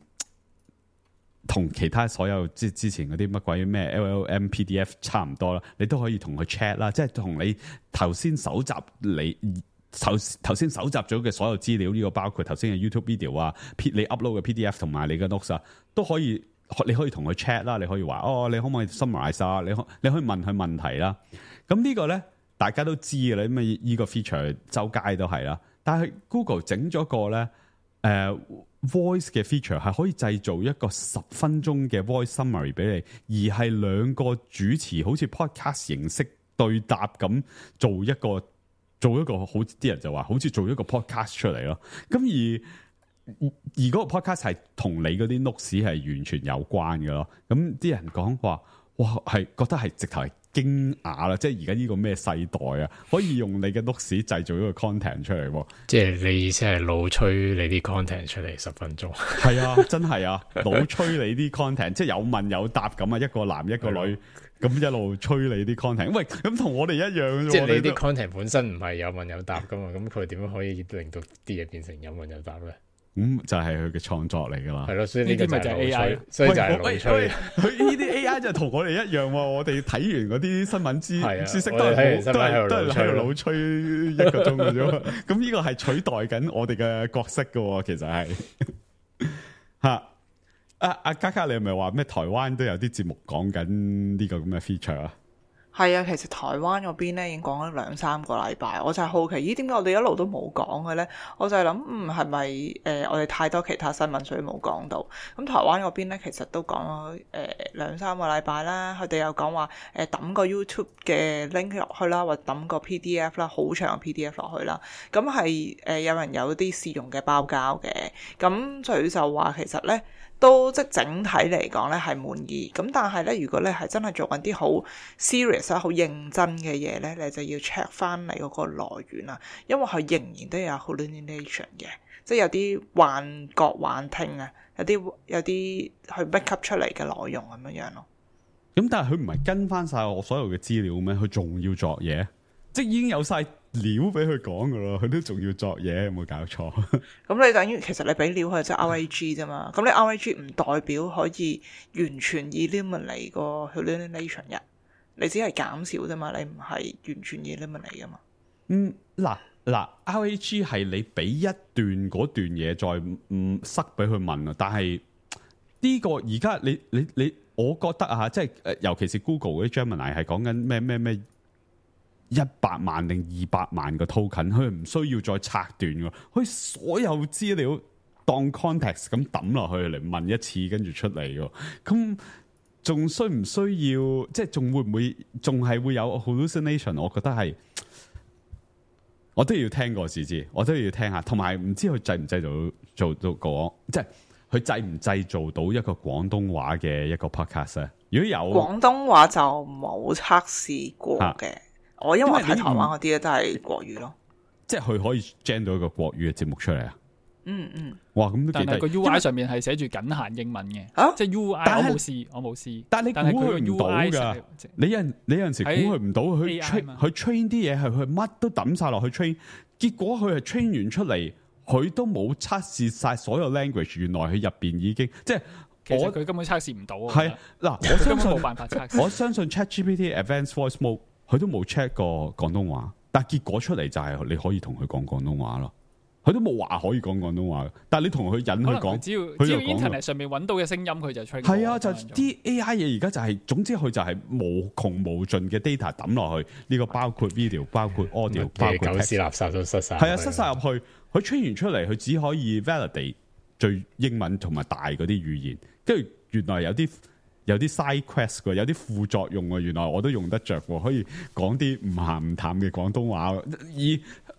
同其他所有即係之前嗰啲乜鬼咩 L L M P D F 差唔多啦，你都可以同佢 chat 啦，即係同你頭先搜集你頭頭先搜集咗嘅所有資料，呢、這個包括頭先嘅 YouTube video 啊，你 upload 嘅 P D F 同埋你嘅 notes 啊，都可以你可以同佢 chat 啦，你可以話哦，你可唔可以 summarize 啊？你可你可以問佢問題啦。咁呢個咧大家都知嘅啦，咁啊呢個 feature 周街都係啦。但係 Google 整咗個咧誒。呃 voice 嘅 feature 係可以製造一個十分鐘嘅 voice summary 俾你，而係兩個主持好似 podcast 形式對答咁做一個做一個好啲人就話好似做一個 podcast 出嚟咯。咁而而嗰個 podcast 係同你嗰啲 notes 係完全有關嘅咯。咁啲人講話哇係覺得係直頭係驚訝啦！即係而家呢個咩世代啊，可以用你嘅 notes 製造一個 content 出嚟。即係你意思係老吹你啲 content 出嚟十分鐘？係啊，真係啊，老吹你啲 content， 即係有問有答咁啊，一個男一個女咁一路吹你啲 content。喂，咁同我哋一樣，即係你啲 content 本身唔係有問有答噶嘛？咁佢點樣可以令到啲嘢變成有問有答咧？咁、嗯、就係佢嘅創作嚟噶啦，係咯，所以呢啲咪就係 A I， 所以就係老吹。佢呢啲 A I 就同我哋一樣，我哋睇完嗰啲新聞知知識都係都係都係喺度老吹一個鐘嘅啫。咁呢個係取代緊我哋嘅角色噶，其實係吓。阿阿嘉嘉，你係咪話咩？台灣都有啲節目講緊呢個咁嘅 feature 啊？係啊，其實台灣嗰邊咧已經講咗兩三個禮拜，我就係好奇，咦點解我哋一路都冇講嘅咧？我就係諗，嗯係咪誒我哋太多其他新聞所以冇講到？咁台灣嗰邊咧其實都講咗誒兩三個禮拜啦，佢哋有講話誒抌個 YouTube 嘅 link 落去啦，或者抌個 P D F 啦，好長嘅 P D F 落去啦。咁係誒有人有啲試用嘅包膠嘅，咁佢就話其實咧。都即係整體嚟講咧係滿意，咁但係咧如果你係真係做緊啲好 serious 啊、好認真嘅嘢咧，你就要 check 翻你嗰個來源啦，因為佢仍然都有 hallucination 嘅，即係有啲幻覺、幻聽啊，有啲有啲去 make up 出嚟嘅內容咁樣樣咯。咁但係佢唔係跟翻晒我所有嘅資料咩？佢仲要作嘢，即係已經有晒料俾佢講噶啦，佢都仲要作嘢，有冇搞錯？咁你等於其實你俾料佢即係 R A G 啫嘛，咁你 R A G 唔代表可以完全 eliminate 個 hallucination 嘅，你只係減少啫嘛，你唔係完全 eliminate 噶嘛。嗯，嗱嗱 R A G 係你俾一段嗰段嘢再唔塞俾佢問啊，但係呢個而家你你你，我覺得啊，即係誒，尤其是 Google 嗰啲 Gemini 係講緊咩咩咩。一百萬定二百萬個 token， 佢唔需要再拆斷嘅，佢所有資料當 context 咁抌落去嚟問一次，跟住出嚟嘅。咁仲需唔需要？即係仲會唔會？仲係會有 hallucination？我覺得係，我都要聽過先知，我都要聽下。同埋唔知佢製唔製造做到講，即係佢製唔製造到一個廣東話嘅一個 podcast 咧？如果有廣東話就冇測試過嘅。啊我因為睇台灣嗰啲咧都係國語咯，即係佢可以 gen 到一個國語嘅節目出嚟啊！嗯嗯，哇咁都幾，但係個 U I 上面係寫住僅限英文嘅，啊，即係 U I 我冇試，我冇試。但係你估佢唔到㗎，你有你有陣時估佢唔到，佢 train 佢 train 啲嘢係佢乜都抌晒落去 train，結果佢係 train 完出嚟，佢都冇測試晒所有 language，原來佢入邊已經即係。其實佢根本測試唔到。係嗱，我相信冇辦法測試。我相信 ChatGPT Advanced Voice Mode。佢都冇 check 過廣東話，但係結果出嚟就係你可以同佢講廣東話咯。佢都冇話可以講廣東話，但係你同佢引佢講，只要只要 internet 上面揾到嘅聲音，佢就 check。係啊，就啲 A I 嘢而家就係、是，總之佢就係無窮無盡嘅 data 抌落去。呢、這個包括 video， 包括 audio， 包括狗屎垃圾都塞晒。係啊，塞晒入去。佢 train 完出嚟，佢只可以 validate 最英文同埋大嗰啲語言，跟住原來有啲有啲 side quest 喎，有啲副作用喎，原來我都用得着喎，可以講啲唔鹹唔淡嘅廣東話，而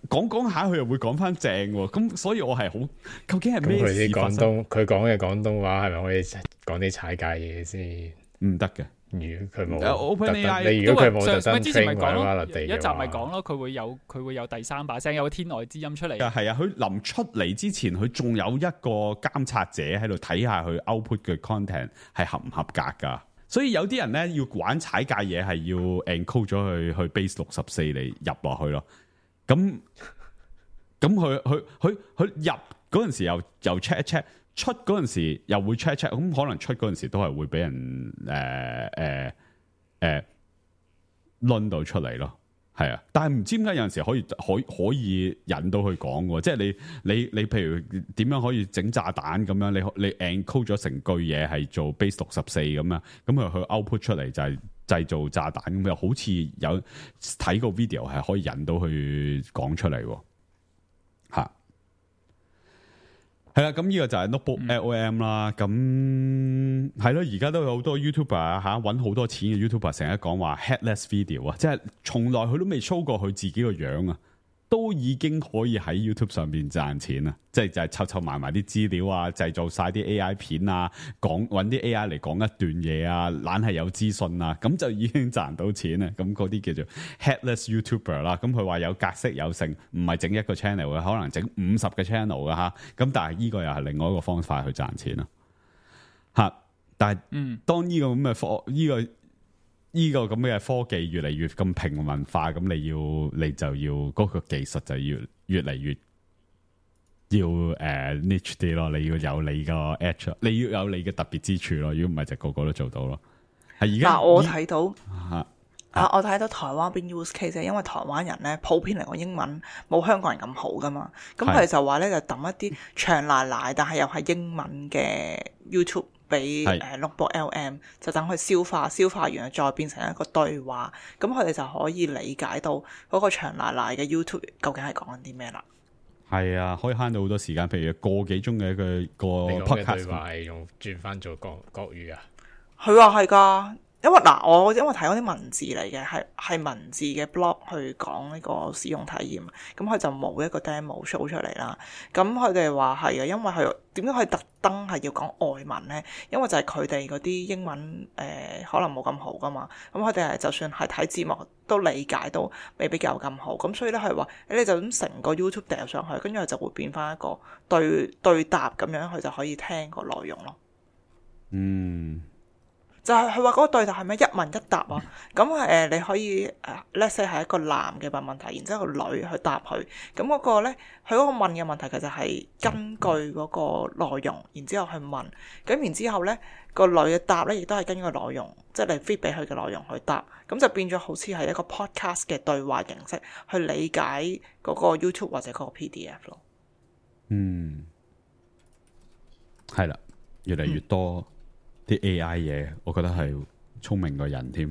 講講下佢又會講翻正喎，咁所以我係好究竟係咩事發生？佢啲廣東佢講嘅廣東話係咪可以講啲踩界嘢先？唔得嘅。如佢冇有 OpenAI 你如果佢冇特上登之前咪 train 講咯，或者有一集咪講咯，佢會有佢會有第三把聲，有個天外之音出嚟。係啊，佢臨出嚟之前，佢仲有一個監察者喺度睇下佢 output 嘅 content 係合唔合格㗎。所以有啲人咧要玩踩界嘢係要 encode 咗去去 base 六十四嚟入落去咯。咁咁佢佢佢佢入嗰陣時又又 check 一 check。出嗰陣時又會 check check，咁可能出嗰陣時都係會俾人誒誒誒掄到出嚟咯，係啊！但係唔知點解有陣時可以可可以引到佢講喎，即係你你你譬如點樣可以整炸彈咁樣，你你 encode 咗成句嘢係做 base 六十四咁樣，咁佢佢 output 出嚟就係製造炸彈咁，又好似有睇個 video 係可以引到佢講出嚟喎，嚇。係啦，咁呢個就係 Notebook L O M 啦，咁係咯，而家都有好多 YouTuber 啊吓，搵好多錢嘅 YouTuber 成日講話 headless video 啊，即係從來佢都未 show 過佢自己個樣啊，都已經可以喺 YouTube 上邊賺錢啦，即係就係湊湊埋埋啲資料啊，製造晒啲 A I 片啊，講搵啲 A I 嚟講一段嘢啊，懶係有資訊啊，咁就已經賺到錢啦。咁嗰啲叫做 headless YouTuber 啦。咁佢話有格式有性，唔係整一個 channel 嘅，可能整五十個 channel 嘅吓。咁但係呢個又係另外一個方法去賺錢啦。吓，但係，嗯，當呢個咁嘅科，呢、這個呢、這個咁嘅科技越嚟越咁平民化，咁你要你就要嗰、那個技術就要越嚟越要誒、uh, niche 啲咯，你要有你個 edge，你要有你嘅特別之處咯，如果唔係就個個都做到咯。係而家，我睇到啊，啊我睇到台灣邊 use case，因為台灣人咧普遍嚟講英文冇香港人咁好噶嘛，咁佢哋就話咧就揼一啲長奶奶，但係又係英文嘅 YouTube。俾誒 Notebook L M 就等佢消化，消化完再變成一個對話，咁佢哋就可以理解到嗰個長奶奶嘅 YouTube 究竟係講緊啲咩啦。係啊，可以慳到好多時間，譬如個幾鐘嘅一個個 podcast 對話係用轉翻做國國語啊。佢話係㗎。因為嗱，我因為睇嗰啲文字嚟嘅，係係文字嘅 blog 去講呢個使用體驗，咁佢就冇一個 demo show 出嚟啦。咁佢哋話係啊，因為佢點解佢特登係要講外文咧？因為就係佢哋嗰啲英文誒、呃、可能冇咁好噶嘛，咁佢哋係就算係睇字幕都理解到未必有咁好，咁所以咧係話你就咁成個 YouTube 掉上去，跟住佢就會變翻一個對對答咁樣，佢就可以聽個內容咯。嗯。就係佢話嗰個對答係咩一問一答啊？咁誒、呃、你可以誒 let's say 係一個男嘅問問題，然之後個女去答佢。咁嗰個咧，佢嗰個問嘅問題其實係根據嗰個內容，然之後去問。咁然之後咧，個女嘅答咧亦都係根據內容，即係你 feed 俾佢嘅內容去答。咁就變咗好似係一個 podcast 嘅對話形式去理解嗰個 YouTube 或者嗰個 P D F 咯。嗯，係啦，越嚟越多。嗯啲 A I 嘢，我覺得係聰明過人添。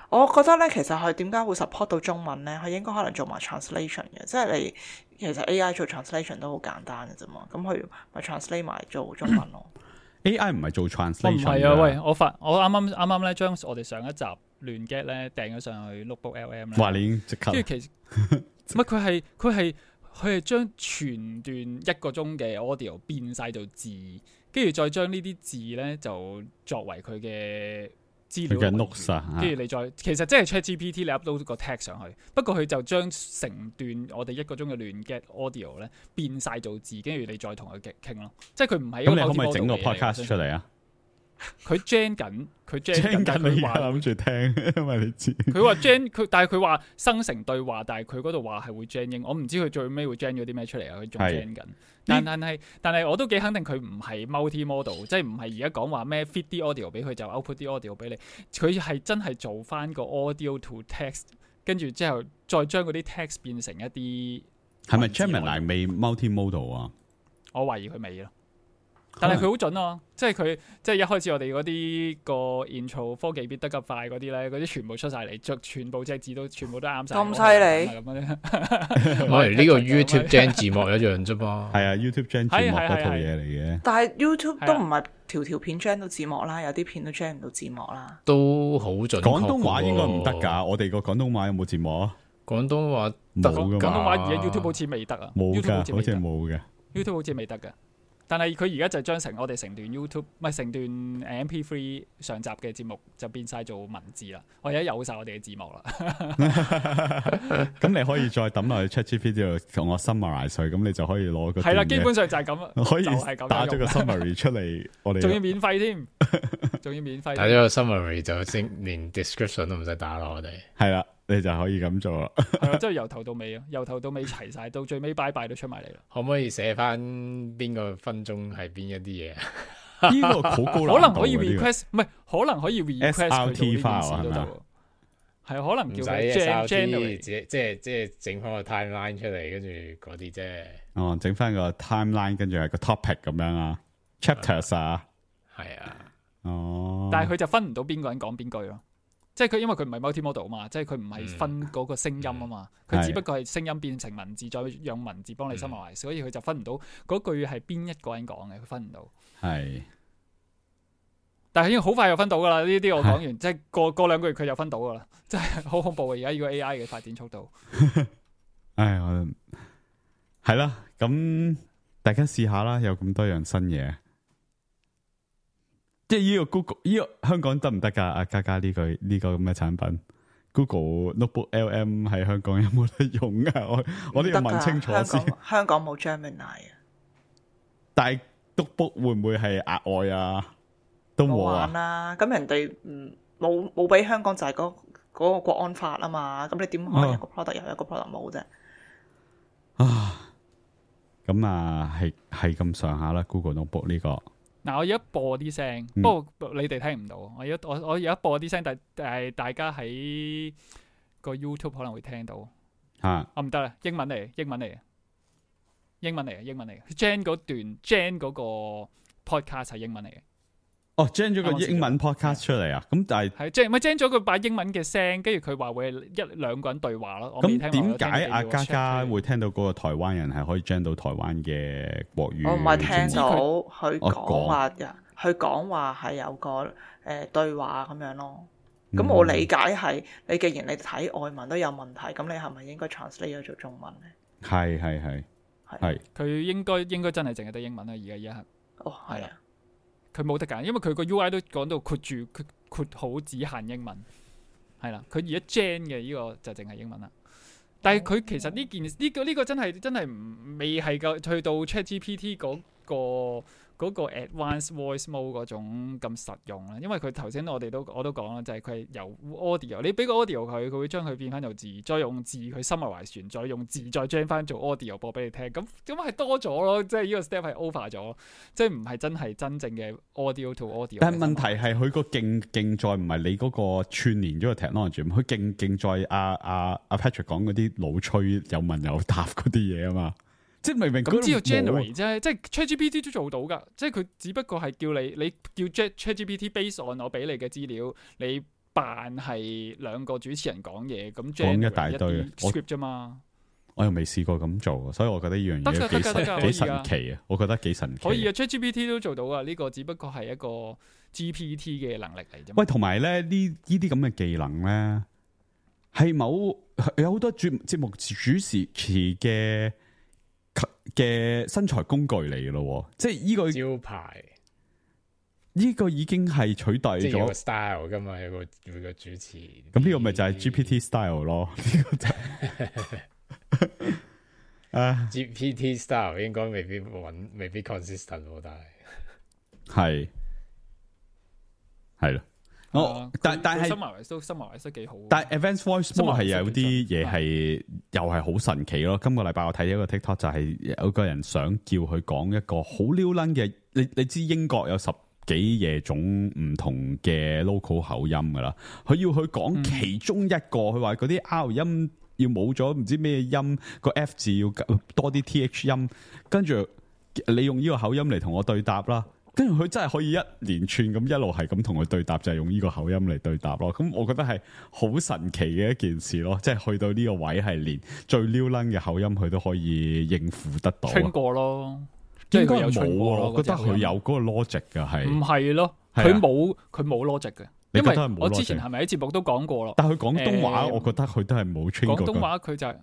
我覺得咧，其實佢點解會 support 到中文咧？佢應該可能做埋 translation 嘅，即係你其實 A I 做 translation 都好簡單嘅啫嘛。咁佢咪 translate 埋做中文咯。A I 唔係做 translation。唔係啊，喂！我發我啱啱啱啱咧將我哋上一集亂 get 咧掟咗上去 Notebook L M 咧。哇！你已經即刻。跟住其實唔係佢係佢係佢係將全段一個鐘嘅 audio 變晒做字。跟住再將呢啲字咧，就作為佢嘅資料嘅 notes 啊。跟住你再，其實即係 ChatGPT 你 upload 個 text 上去，不過佢就將成段我哋一個鐘嘅亂 get audio 咧變晒做字，跟住你再同佢傾咯。即係佢唔係一個 multimodal 嘅嘢。咁你可唔可以整個 podcast 出嚟啊？佢 gen 緊，佢 gen 緊，佢話諗住聽，因為你知。佢話 gen 佢，但係佢話生成對話，但係佢嗰度話係會 gen 英，我唔知佢最尾會 gen 咗啲咩出嚟啊！佢仲 gen 緊，但但係但係我都幾肯定佢唔係 multi-modal， 即係唔係而家講話咩 feed 啲 audio 俾佢就 output 啲 audio 俾你，佢係真係做翻個 audio to text， 跟住之後再將嗰啲 text 變成一啲係咪 Gemini 未 multi-modal 啊？我懷疑佢未咯。但係佢好準啊！即係佢即係一開始我哋嗰啲個 intro 科技變得咁快嗰啲咧，嗰啲全部出晒嚟，著全部隻字都全部都啱晒。咁犀利咁樣我哋呢個 YouTube gen 字幕一樣啫嘛。係啊 YouTube gen 字幕嗰套嘢嚟嘅。但係 YouTube 都唔係條條片 gen 到字幕啦，有啲片都 gen 唔到字幕啦。都好準確。廣東話應該唔得㗎，我哋個廣東話有冇字幕啊？廣東話冇㗎嘛。廣東話而家 YouTube 好似未得啊，冇 YouTube 㗎，好似冇嘅。 YouTube 好似未得㗎。但係佢而家就將成我哋成段 YouTube 唔係成段 M P 三 上集嘅節目就變晒做文字啦，我而家有晒我哋嘅字幕啦。咁你可以再抌落去 ChatGPT 度同我 summarize 佢，咁你就可以攞個係啦，基本上就係咁，可以就係咁打咗個 summary 出嚟，我哋仲要免費添，仲要免費。打咗個 summary 就先連 description 都唔使打咯，我哋係啦，你就可以咁做啦。係啊，即係由頭到尾啊，由頭到尾齊晒，到最尾拜拜都出埋嚟啦。可唔可以寫翻邊個分鐘係邊一啲嘢啊？呢個好高難度可能可以喎呢個 request，唔係可能可以 request 佢做呢件事都得喎。係可能唔使叫佢 gen S R T， generate 即係即係即係整翻個 timeline 出嚟，跟住嗰啲啫。哦，整翻個 timeline，跟住係個 topic 咁樣啊 ，chapters 啊，係啊。哦。但係佢就分唔到邊個人講邊句咯。即係佢因為佢唔係 multi-modal 啊嘛，即係佢唔係分嗰個聲音啊嘛，佢、嗯、只不過係聲音變成文字，再用文字幫你 summarize，、嗯、所以佢就分唔到嗰句係邊一個人講嘅，佢分唔到。係。但係已經好快就分到噶啦，呢啲我講完，即係過過兩個月佢就分到噶啦，真係好恐怖啊！而家呢個 A I 嘅發展速度。唉，我係啦，咁大家試下啦，有咁多樣新嘢。即係呢個 Google 呢個香港得唔得噶？阿嘉嘉呢個呢個咁嘅產品 ，Google Notebook L M 喺香港有冇得用啊？我我都要問清楚先。香港香港冇 Gemini 啊。但係 Notebook 會唔會係額外啊？都冇啊。啦，咁人哋唔冇冇俾香港就係嗰嗰個國安法啊嘛，咁你點可能一個 product 有一個 product 冇啫？啊，咁啊係係咁上下啦 ，Google Notebook 呢個。嗱，我而家播啲聲，嗯、不過你哋聽唔到。我而家我我而家播啲聲，但係大家喺個 YouTube 可能會聽到。嚇、啊！我唔得啦，英文嚟，英文嚟，英文嚟，英文嚟。Jen 嗰段 Jen 嗰個 podcast 係英文嚟嘅。哦 ，Jen 咗個英文 podcast 出嚟啊！咁但係係即係咪 Jen 咗佢把英文嘅聲，跟住佢話會一兩個人對話咯。咁點解阿嘉嘉會聽到嗰個台灣人係可以 Jen 到台灣嘅國語？我唔係聽到佢講講話，佢講話係有個誒、呃、對話咁樣咯。咁、嗯、我理解係你既然你睇外文都有問題，咁你係咪應該 translate 咗做中文咧？係係係係。佢應該應該真係淨係得英文啦，而家一刻。哦，係啊。佢冇得揀，因為佢個 U I 都講到括住括括好只限英文，係啦。佢而家 Gen 嘅呢個就淨係英文啦。但係佢其實呢件呢、呢個呢、呢個真係真係唔未係夠去到 ChatGPT 嗰、嗰個。嗰個 advanced voice mode 嗰種咁實用啦，因為佢頭先我哋都我都講啦，就係佢係由 audio， 你俾個 audio 佢，佢會將佢變翻做字，再用字佢 summarize完，再用字再將翻做 audio 播俾你聽，咁咁係多咗咯，即係呢個 step 係 over 咗，即係唔係真係真正嘅 audio to audio。但係問題係佢個勁勁在唔係你嗰個串連咗個 technology，佢勁勁在阿阿阿 Patrick 講嗰啲老吹有問有答嗰啲嘢啊嘛。即係明明咁知道 generate 啫，即係 ChatGPT 都做到㗎，即係佢只不過係叫你，你叫 ChatGPT based on 我俾你嘅資料，你扮係兩個主持人講嘢，咁 generate 一大堆 script 啫嘛。我又未試過咁做，所以我覺得呢樣嘢幾神幾神奇啊！我覺得幾神奇。可以啊 ，ChatGPT 都做到啊，呢、這個只不過係一個 G P T 嘅能力嚟啫。喂，同埋咧呢呢啲咁嘅技能咧，係某有好多節節目主持嘅。嘅身材工具嚟嘅咯，即係呢個招牌，呢個已經係取代咗。即係有個 style 噶嘛，有個有個主持。咁呢個咪就係 G P T style 咯？呢個就係啊 G P T style 應該未必穩，未必 consistent，但係係係咯。我、哦、但但係 summarize 都 summarize 得幾好。但係 advanced voice mode 係有啲嘢係又係好神奇咯。今個禮拜我睇一個 TikTok 就係有個人想叫佢講一個好撩撚嘅，你你知英國有十幾嘢種唔同嘅 local 口音噶啦，佢要佢講其中一個，佢話嗰啲 R 音要冇咗唔知咩音，個 F 字要多啲 T H 音，跟住你用呢個口音嚟同我對答啦。跟住佢真係可以一連串咁一路係咁同佢對答，就係、是、用呢個口音嚟對答咯。咁我覺得係好神奇嘅一件事咯，即係去到呢個位係連最撩撚嘅口音佢都可以應付得到。聽過咯，即係佢有聽過咯。我覺得佢有嗰個 logic 嘅係。唔係咯，係啊佢冇佢冇 logic 嘅。因為你覺得係冇 logic？我之前係咪喺節目都講過咯？但係佢廣東話，誒我覺得佢都係冇 train 過。廣東話佢就係、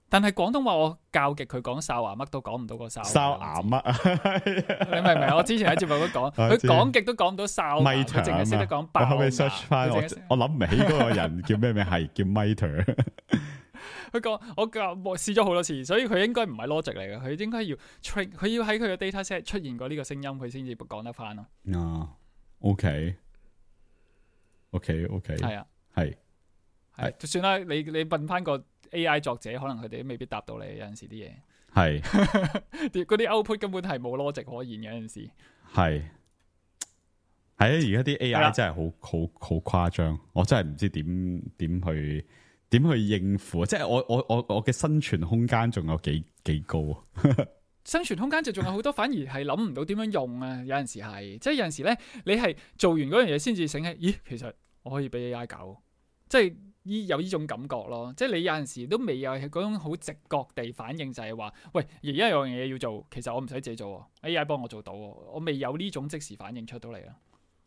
但係廣東話我教極佢講哨牙乜都講唔到個哨。哨牙乜啊？你明唔明？我之前喺節目都講，我知佢講極都講唔到哨牙，佢 Miter 淨係識得講爆牙。我後尾 search 翻，我佢淨係識我諗唔起嗰個人叫咩名，係叫 Miter。佢講我教我試咗好多次，所以佢應該唔係 logic 嚟嘅，佢應該要 train，佢要喺佢嘅 data set 出現過呢個聲音，佢先至講得翻咯。啊，OK，OK，OK，係啊，係係就算啦，你你問翻個 A I 作者，可能佢哋都未必答到你。有陣時啲嘢，係啲嗰啲 output 根本係冇 logic 可言嘅。有陣時係係啊！而家啲 A 係 I 啦真係好好好誇張，我真係唔知點點去點去應付啊！即係我我我我嘅生存空間仲有幾幾高啊！生存空間就仲有好多，反而係諗唔到點樣用啊！有陣時係，即係有陣時咧，你係做完嗰樣嘢先至醒起，咦，其實我可以俾 A I 搞，即係依有呢種感覺咯。即係你有陣時都未有嗰種好直覺地反應，就係話，喂，而家有樣嘢要做，其實我唔使自己做，A I 幫我做到，我未有呢種即時反應出到嚟啊！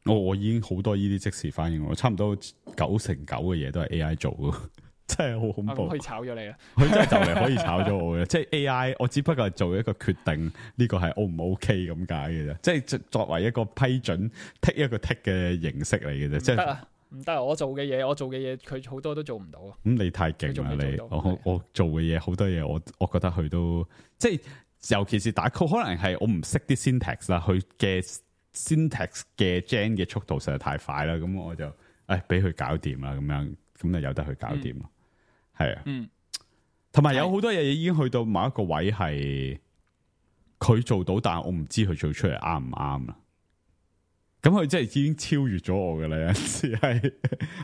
我我已經好多呢啲即時反應，我差唔多九成九嘅嘢都係 A I 做嘅。真係好恐怖，可以炒咗你啊！佢真係就嚟可以炒咗我嘅，即係 A I，我只不過係做一個決定，呢個係 O 唔 OK 咁解嘅啫，即係作為一個批准剔一個剔嘅形式嚟嘅啫，即係唔得啊，唔得啊！我做嘅嘢，我做嘅嘢，佢好多都做唔到啊！咁你太勁啦你，我我做嘅嘢好多嘢，我我覺得佢都即係，尤其是打 code，可能係我唔識啲 syntax 啦，佢嘅 syntax 嘅 gen 嘅速度實在太快啦，咁我就誒俾佢搞掂啦，咁樣咁就由得佢搞掂啦。係啊，嗯，同埋有好多嘢已經去到某一個位係佢做到，但係我唔知佢做出嚟啱唔啱啦。咁佢真係已經超越咗我噶啦，有陣時係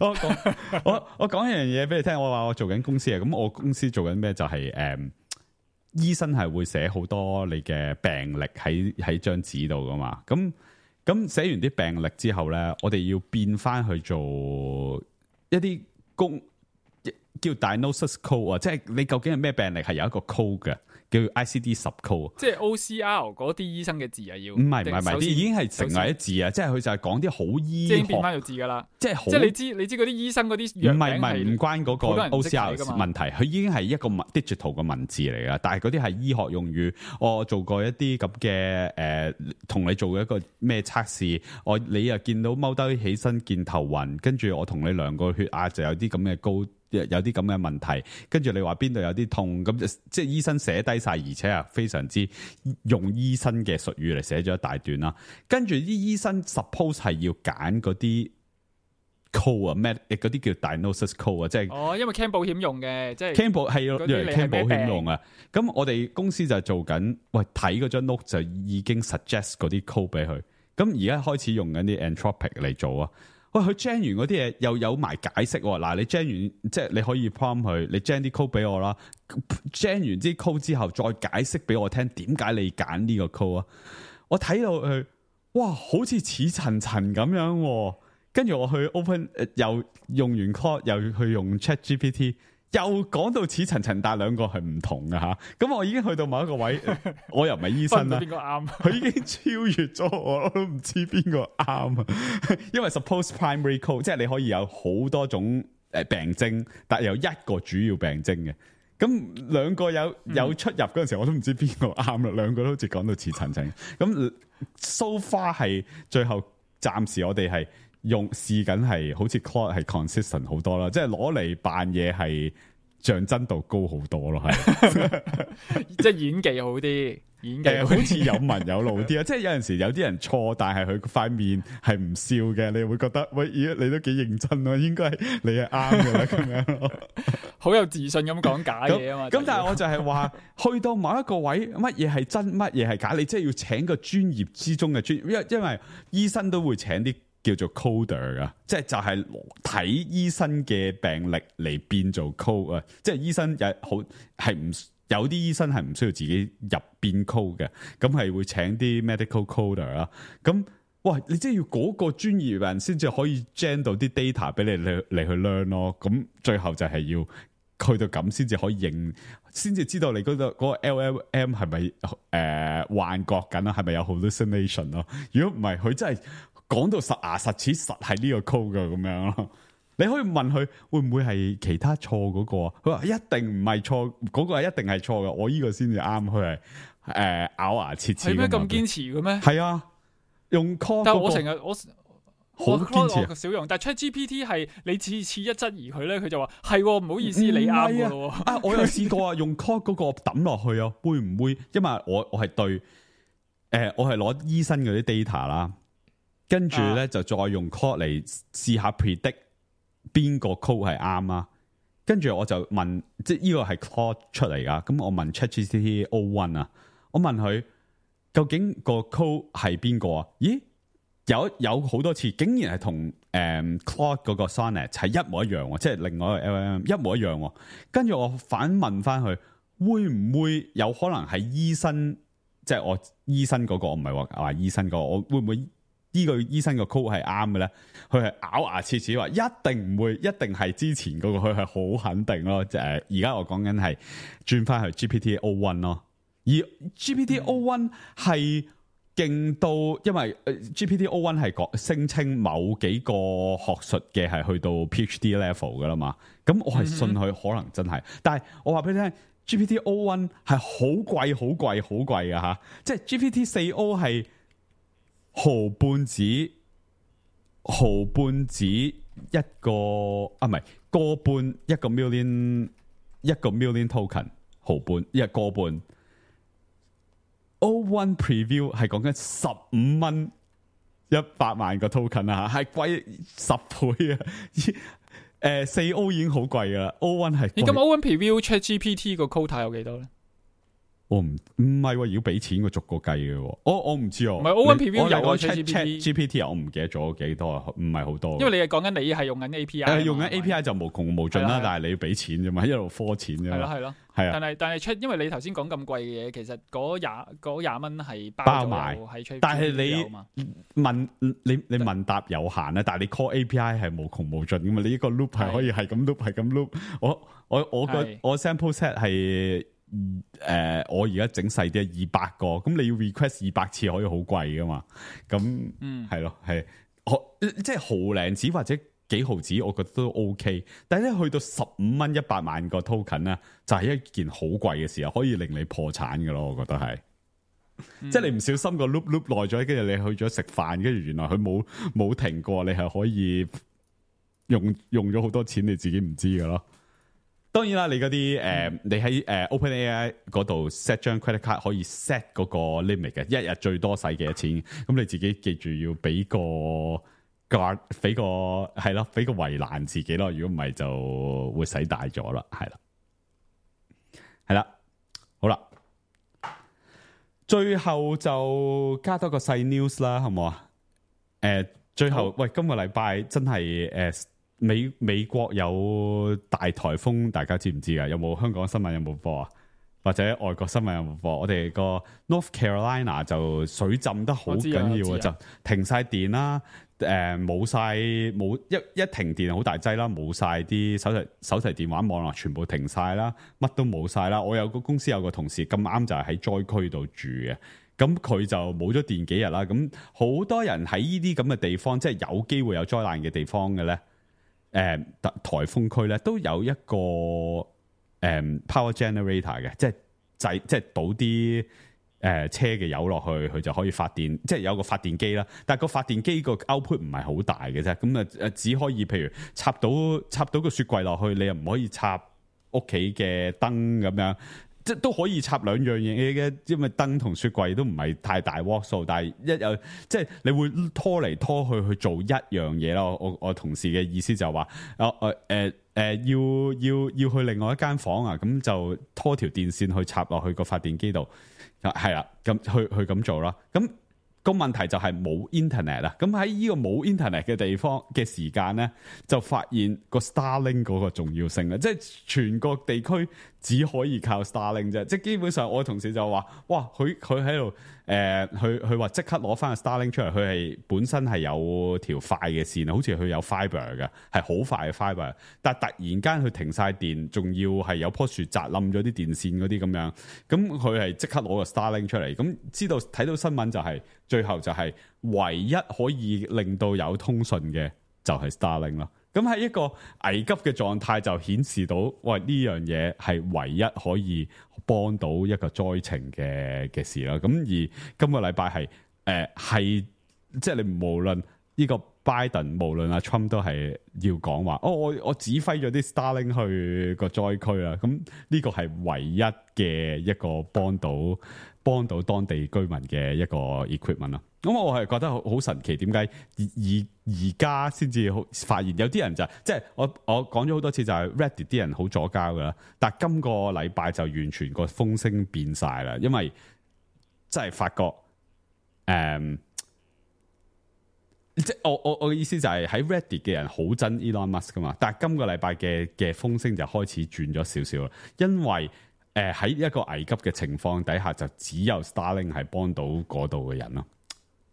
我講我我講一樣嘢俾你聽，我話我做緊公司啊，咁我公司做緊咩就係、是、誒、嗯，醫生係會寫好多你嘅病歷喺喺張紙度噶嘛，咁咁寫完啲病歷之後咧，我哋要變翻去做一啲工。叫 diagnosis code 啊，即係你究竟係咩病歷係有一個 code 嘅，叫 I C D 十 code。即係 O C R 嗰啲醫生嘅字啊，要唔係唔係唔係，啲已經係成為一字啊！即係佢就係講啲好醫學，即係變翻做字噶啦。即係好，即係你知你知嗰啲醫生嗰啲藥名係唔係唔係唔關嗰個 O C R 問題，佢已經係一個 digital 嘅文字嚟噶。但係嗰啲係醫學用語，我做過一啲咁嘅誒，同、呃、你做一個咩測試，我你又見到踎低起身見頭暈，跟住我同你量個血壓就有啲咁嘅高。有啲咁嘅問題，跟住你話邊度有啲痛，咁即係醫生寫低晒，而且係非常之用醫生嘅術語嚟寫咗一大段啦。跟住啲醫生 suppose 係要揀嗰啲 code 啊，咩嗰啲叫 diagnosis code 啊，即係哦，因為 claim 保險用嘅，即係 claim 保係要嚟 claim 保險用啊。咁病我哋公司就做緊，喂睇嗰張 note 就已經 suggest 嗰啲 code 俾佢。咁而家開始用緊啲 Anthropic 嚟做啊。喂，佢 gen 完嗰啲嘢又有埋解釋喎。嗱，你 gen 完即係你可以 prompt 佢，你 gen 啲 code 俾我啦。gen 完啲 code 之後，再解釋俾我聽點解你揀呢個 code 啊？我睇到佢，哇，好似似層層咁樣。跟住我去 open，又用完 code，又去用 ChatGPT。又講到似層層，但係兩個係唔同嘅吓。咁我已經去到某一個位，我又唔係醫生啦。邊個啱？佢已經超越咗我，我都唔知邊個啱啊。因為 suppose primary code 即係你可以有好多種誒病徵，但係有一個主要病徵嘅。咁兩個有有出入嗰陣時候，我都唔知邊個啱啦。兩個都好似講到似層層。咁 so far 係最後暫時我哋係。用試緊係好似 Claude 係 consistent 好多啦，即係攞嚟扮嘢係像真度高好多咯，係即係演技好啲，演技好似有文有路啲啊！即係有陣時有啲人錯，但係佢塊面係唔笑嘅，你會覺得喂，咦，你都幾認真咯，應該係你係啱嘅啦，咁樣咯，好有自信咁講假嘢啊嘛！咁但係我就係話，去到某一個位，乜嘢係真，乜嘢係假，你即係要請個專業之中嘅專業，因因為醫生都會請啲。叫做 coder 啊，即係就係睇醫生嘅病歷嚟變做 code 啊，即係醫生又好係唔有啲醫生係唔需要自己入邊 code 嘅，咁係會請啲 medical coder 啦。咁哇，你即係要嗰個專業人先至可以 gen 到啲 data 俾你嚟嚟去 learn 咯。咁最後就係要去到咁先至可以認，先至知道你嗰、嗰個、嗰個 L L M 係咪誒幻覺緊啊？係咪有 hallucination 咯？如果唔係，佢真係講到實牙實齒實係呢個 code 噶咁樣咯。你可以問佢會唔會係其他錯嗰、嗰個啊？佢話一定唔係錯，嗰、嗰個係一定係錯嘅。我呢個先至啱。佢係誒咬牙切齒。係咩咁堅持嘅咩？係啊，用 call、嗰個。但係我成日我好堅持、啊，少用。但係 ChatGPT 係你次次一質疑佢咧，佢就話係唔好意思，你啱噶咯。啊，我有試過啊，用 call 嗰個抌落去啊，會唔會？因為我我係對誒、呃，我係攞醫生嗰啲 data 啦，跟住咧、啊、就再用 call 嚟試下 predict。邊個 code 係啱啊？跟住我就問，即係呢個係 code 出嚟噶。咁我問 ChatGPT O one 啊，我問佢究竟個 code 係邊個啊？咦，有有好多次，竟然係同誒 Claude 嗰個 Sonnet 係一模一樣，即係另外一個 L L M 一模一樣。跟住我反問翻佢，會唔會有可能係醫生？即係我醫生嗰個，我唔係話話醫生嗰個，我會唔會？呢個醫生個 code 係啱嘅咧，佢係咬牙切齒話一定唔會，一定係之前嗰、那個，佢係好肯定咯。即係而家我講緊係轉翻去 G P T O one 咯，而 G P T O one 係勁到，因為 G P T O one 係講聲稱某幾個學術嘅係去到 PhD level 噶啦嘛，咁我係信佢可能真係，但係我話俾你聽 G P T O one 係好貴、好貴、好貴嘅吓，即係 G P T 四 O 係。毫半子，毫半子一個啊，唔係個半一個 million， 一個 million token， 毫半一個半。O one preview 係講緊十五蚊一百萬個 token 啊，係貴十倍啊！誒，四 O 已經好貴噶啦 ，O one 係。你咁 O one preview ChatGPT 個 quota 有幾多咧？我唔唔係要俾錢個逐個計嘅，我我唔知哦。唔係 O one preview 有我 Chat G P T 我唔記得咗幾多，唔係好多。因為你係講緊你係用緊 A P I，用緊 A P I 就無窮無盡啦，但係你要俾錢啫嘛，一路科錢啫嘛。係咯係咯，係啊。但係但係出，因為你頭先講咁貴嘅嘢，其實嗰廿嗰廿蚊係包埋喺出，但係你問你你問答有限啊，但係你 call A P I 係無窮無盡噶嘛，你呢個 loop 係可以係咁 loop 係咁 loop。我我我個我 sample set 係。誒、呃，我而家整細啲，二百個，咁你要 request 二百次可以好貴噶嘛？咁，嗯，係咯，係，即係毫零子或者幾毫子，我覺得都 OK。但係咧，去到十五蚊一百萬個 token 咧，就係、是、一件好貴嘅事啊，可以令你破產噶咯，我覺得係。嗯、即係你唔小心個 loop loop 耐咗，跟住你去咗食飯，跟住原來佢冇冇停過，你係可以用用咗好多錢，你自己唔知噶咯。當然啦，你嗰啲誒，你喺誒、呃、OpenAI 嗰度 set 張 credit card 可以 set 嗰個 limit 嘅，一日最多使幾多錢？咁你自己記住要俾個 guard，俾個係咯，俾個圍欄自己咯。如果唔係就會使大咗啦，係啦，係啦，好啦，最後就加多個細 news 啦，好唔好啊？誒、呃，最後好喂，今個禮拜真係誒。呃美美國有大颱風，大家知唔知啊？有冇香港新聞有冇播啊？或者外國新聞有冇播？我哋個 North Carolina 就水浸得好緊要啊，就停晒電啦，誒冇晒冇一一停電好大劑啦，冇晒啲手提手提電話網絡全部停晒啦，乜都冇晒啦。我有個公司有個同事咁啱就係喺災區度住嘅，咁佢就冇咗電幾日啦。咁好多人喺呢啲咁嘅地方，即係有機會有災難嘅地方嘅咧。誒、嗯、颱風區咧都有一個誒、嗯、power generator 嘅，即係製即係倒啲誒、呃、車嘅油落去，佢就可以發電，即係有個發電機啦。但係個發電機個 output 唔係好大嘅啫，咁啊誒只可以譬如插到插到個雪櫃落去，你又唔可以插屋企嘅燈咁樣。即都可以插兩樣嘢嘅，因為燈同雪櫃都唔係太大瓦數，但係一有即係你會拖嚟拖去去做一樣嘢咯。我我同事嘅意思就話，啊誒誒誒要要要去另外一間房啊，咁就拖條電線去插落去個發電機度，係啦，咁去去咁做啦。咁個問題就係冇 internet 啦。咁喺呢個冇 internet 嘅地方嘅時間咧，就發現個 Starlink 嗰個重要性啦，即係全國地區只可以靠 Starlink 啫。即係基本上我同事就話：哇，佢佢喺度誒，佢佢話即刻攞翻個 Starlink 出嚟，佢係本身係有條快嘅線，好似佢有 fiber 嘅，係好快嘅 fiber。但係突然間佢停晒電，仲要係有棵樹砸冧咗啲電線嗰啲咁樣，咁佢係即刻攞個 Starlink 出嚟。咁知道睇到新聞就係、是、最後就係唯一可以令到有通訊嘅就係 Starlink 咯。咁喺一個危急嘅狀態就顯示到，喂，呢樣嘢係唯一可以幫到一個災情嘅嘅事啦。咁而今個禮拜係誒係即係你無論呢個拜登，無論阿 Trump 都係要講話，哦，我我指揮咗啲 Starlink 去個災區啦。咁呢個係唯一嘅一個幫到幫到當地居民嘅一個 equipment 啦。咁我係覺得好好神奇，點解而而而家先至發現有啲人就即係我我講咗好多次就係 Reddit 啲人好左膠噶啦，但係今個禮拜就完全個風聲變晒啦，因為真係發覺誒、嗯，即係我我我嘅意思就係喺 Reddit 嘅人好憎 Elon Musk 噶嘛，但係今個禮拜嘅嘅風聲就開始轉咗少少啦，因為誒喺一個危急嘅情況底下，就只有 Starlink 係幫到嗰度嘅人咯。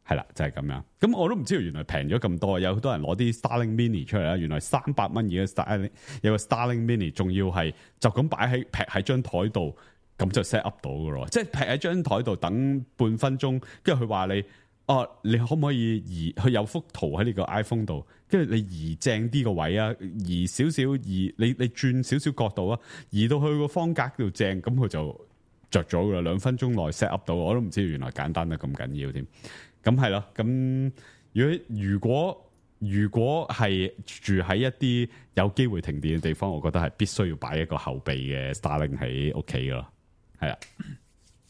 係啦，就係、是、咁樣。咁我都唔知道原來平咗咁多，有好多人攞啲 Starlink Mini 出嚟啦。原來三百蚊而家 Starlink 有個 Starlink Mini，仲要係就咁擺喺劈喺張台度，咁就 set up 到噶咯。即係劈喺張台度等半分鐘，跟住佢話你，哦、啊，你可唔可以移？佢有幅圖喺你個 iPhone 度，跟住你移正啲個位啊，移少少移，你你轉少少角度啊，移到去個方格度正，咁佢就着咗噶啦。兩分鐘內 set up 到，我都唔知道原來簡單得咁緊要添。咁係咯，咁如果如果如果係住喺一啲有機會停電嘅地方，我覺得係必須要擺一個後備嘅 Starlink 喺屋企噶咯，係啊。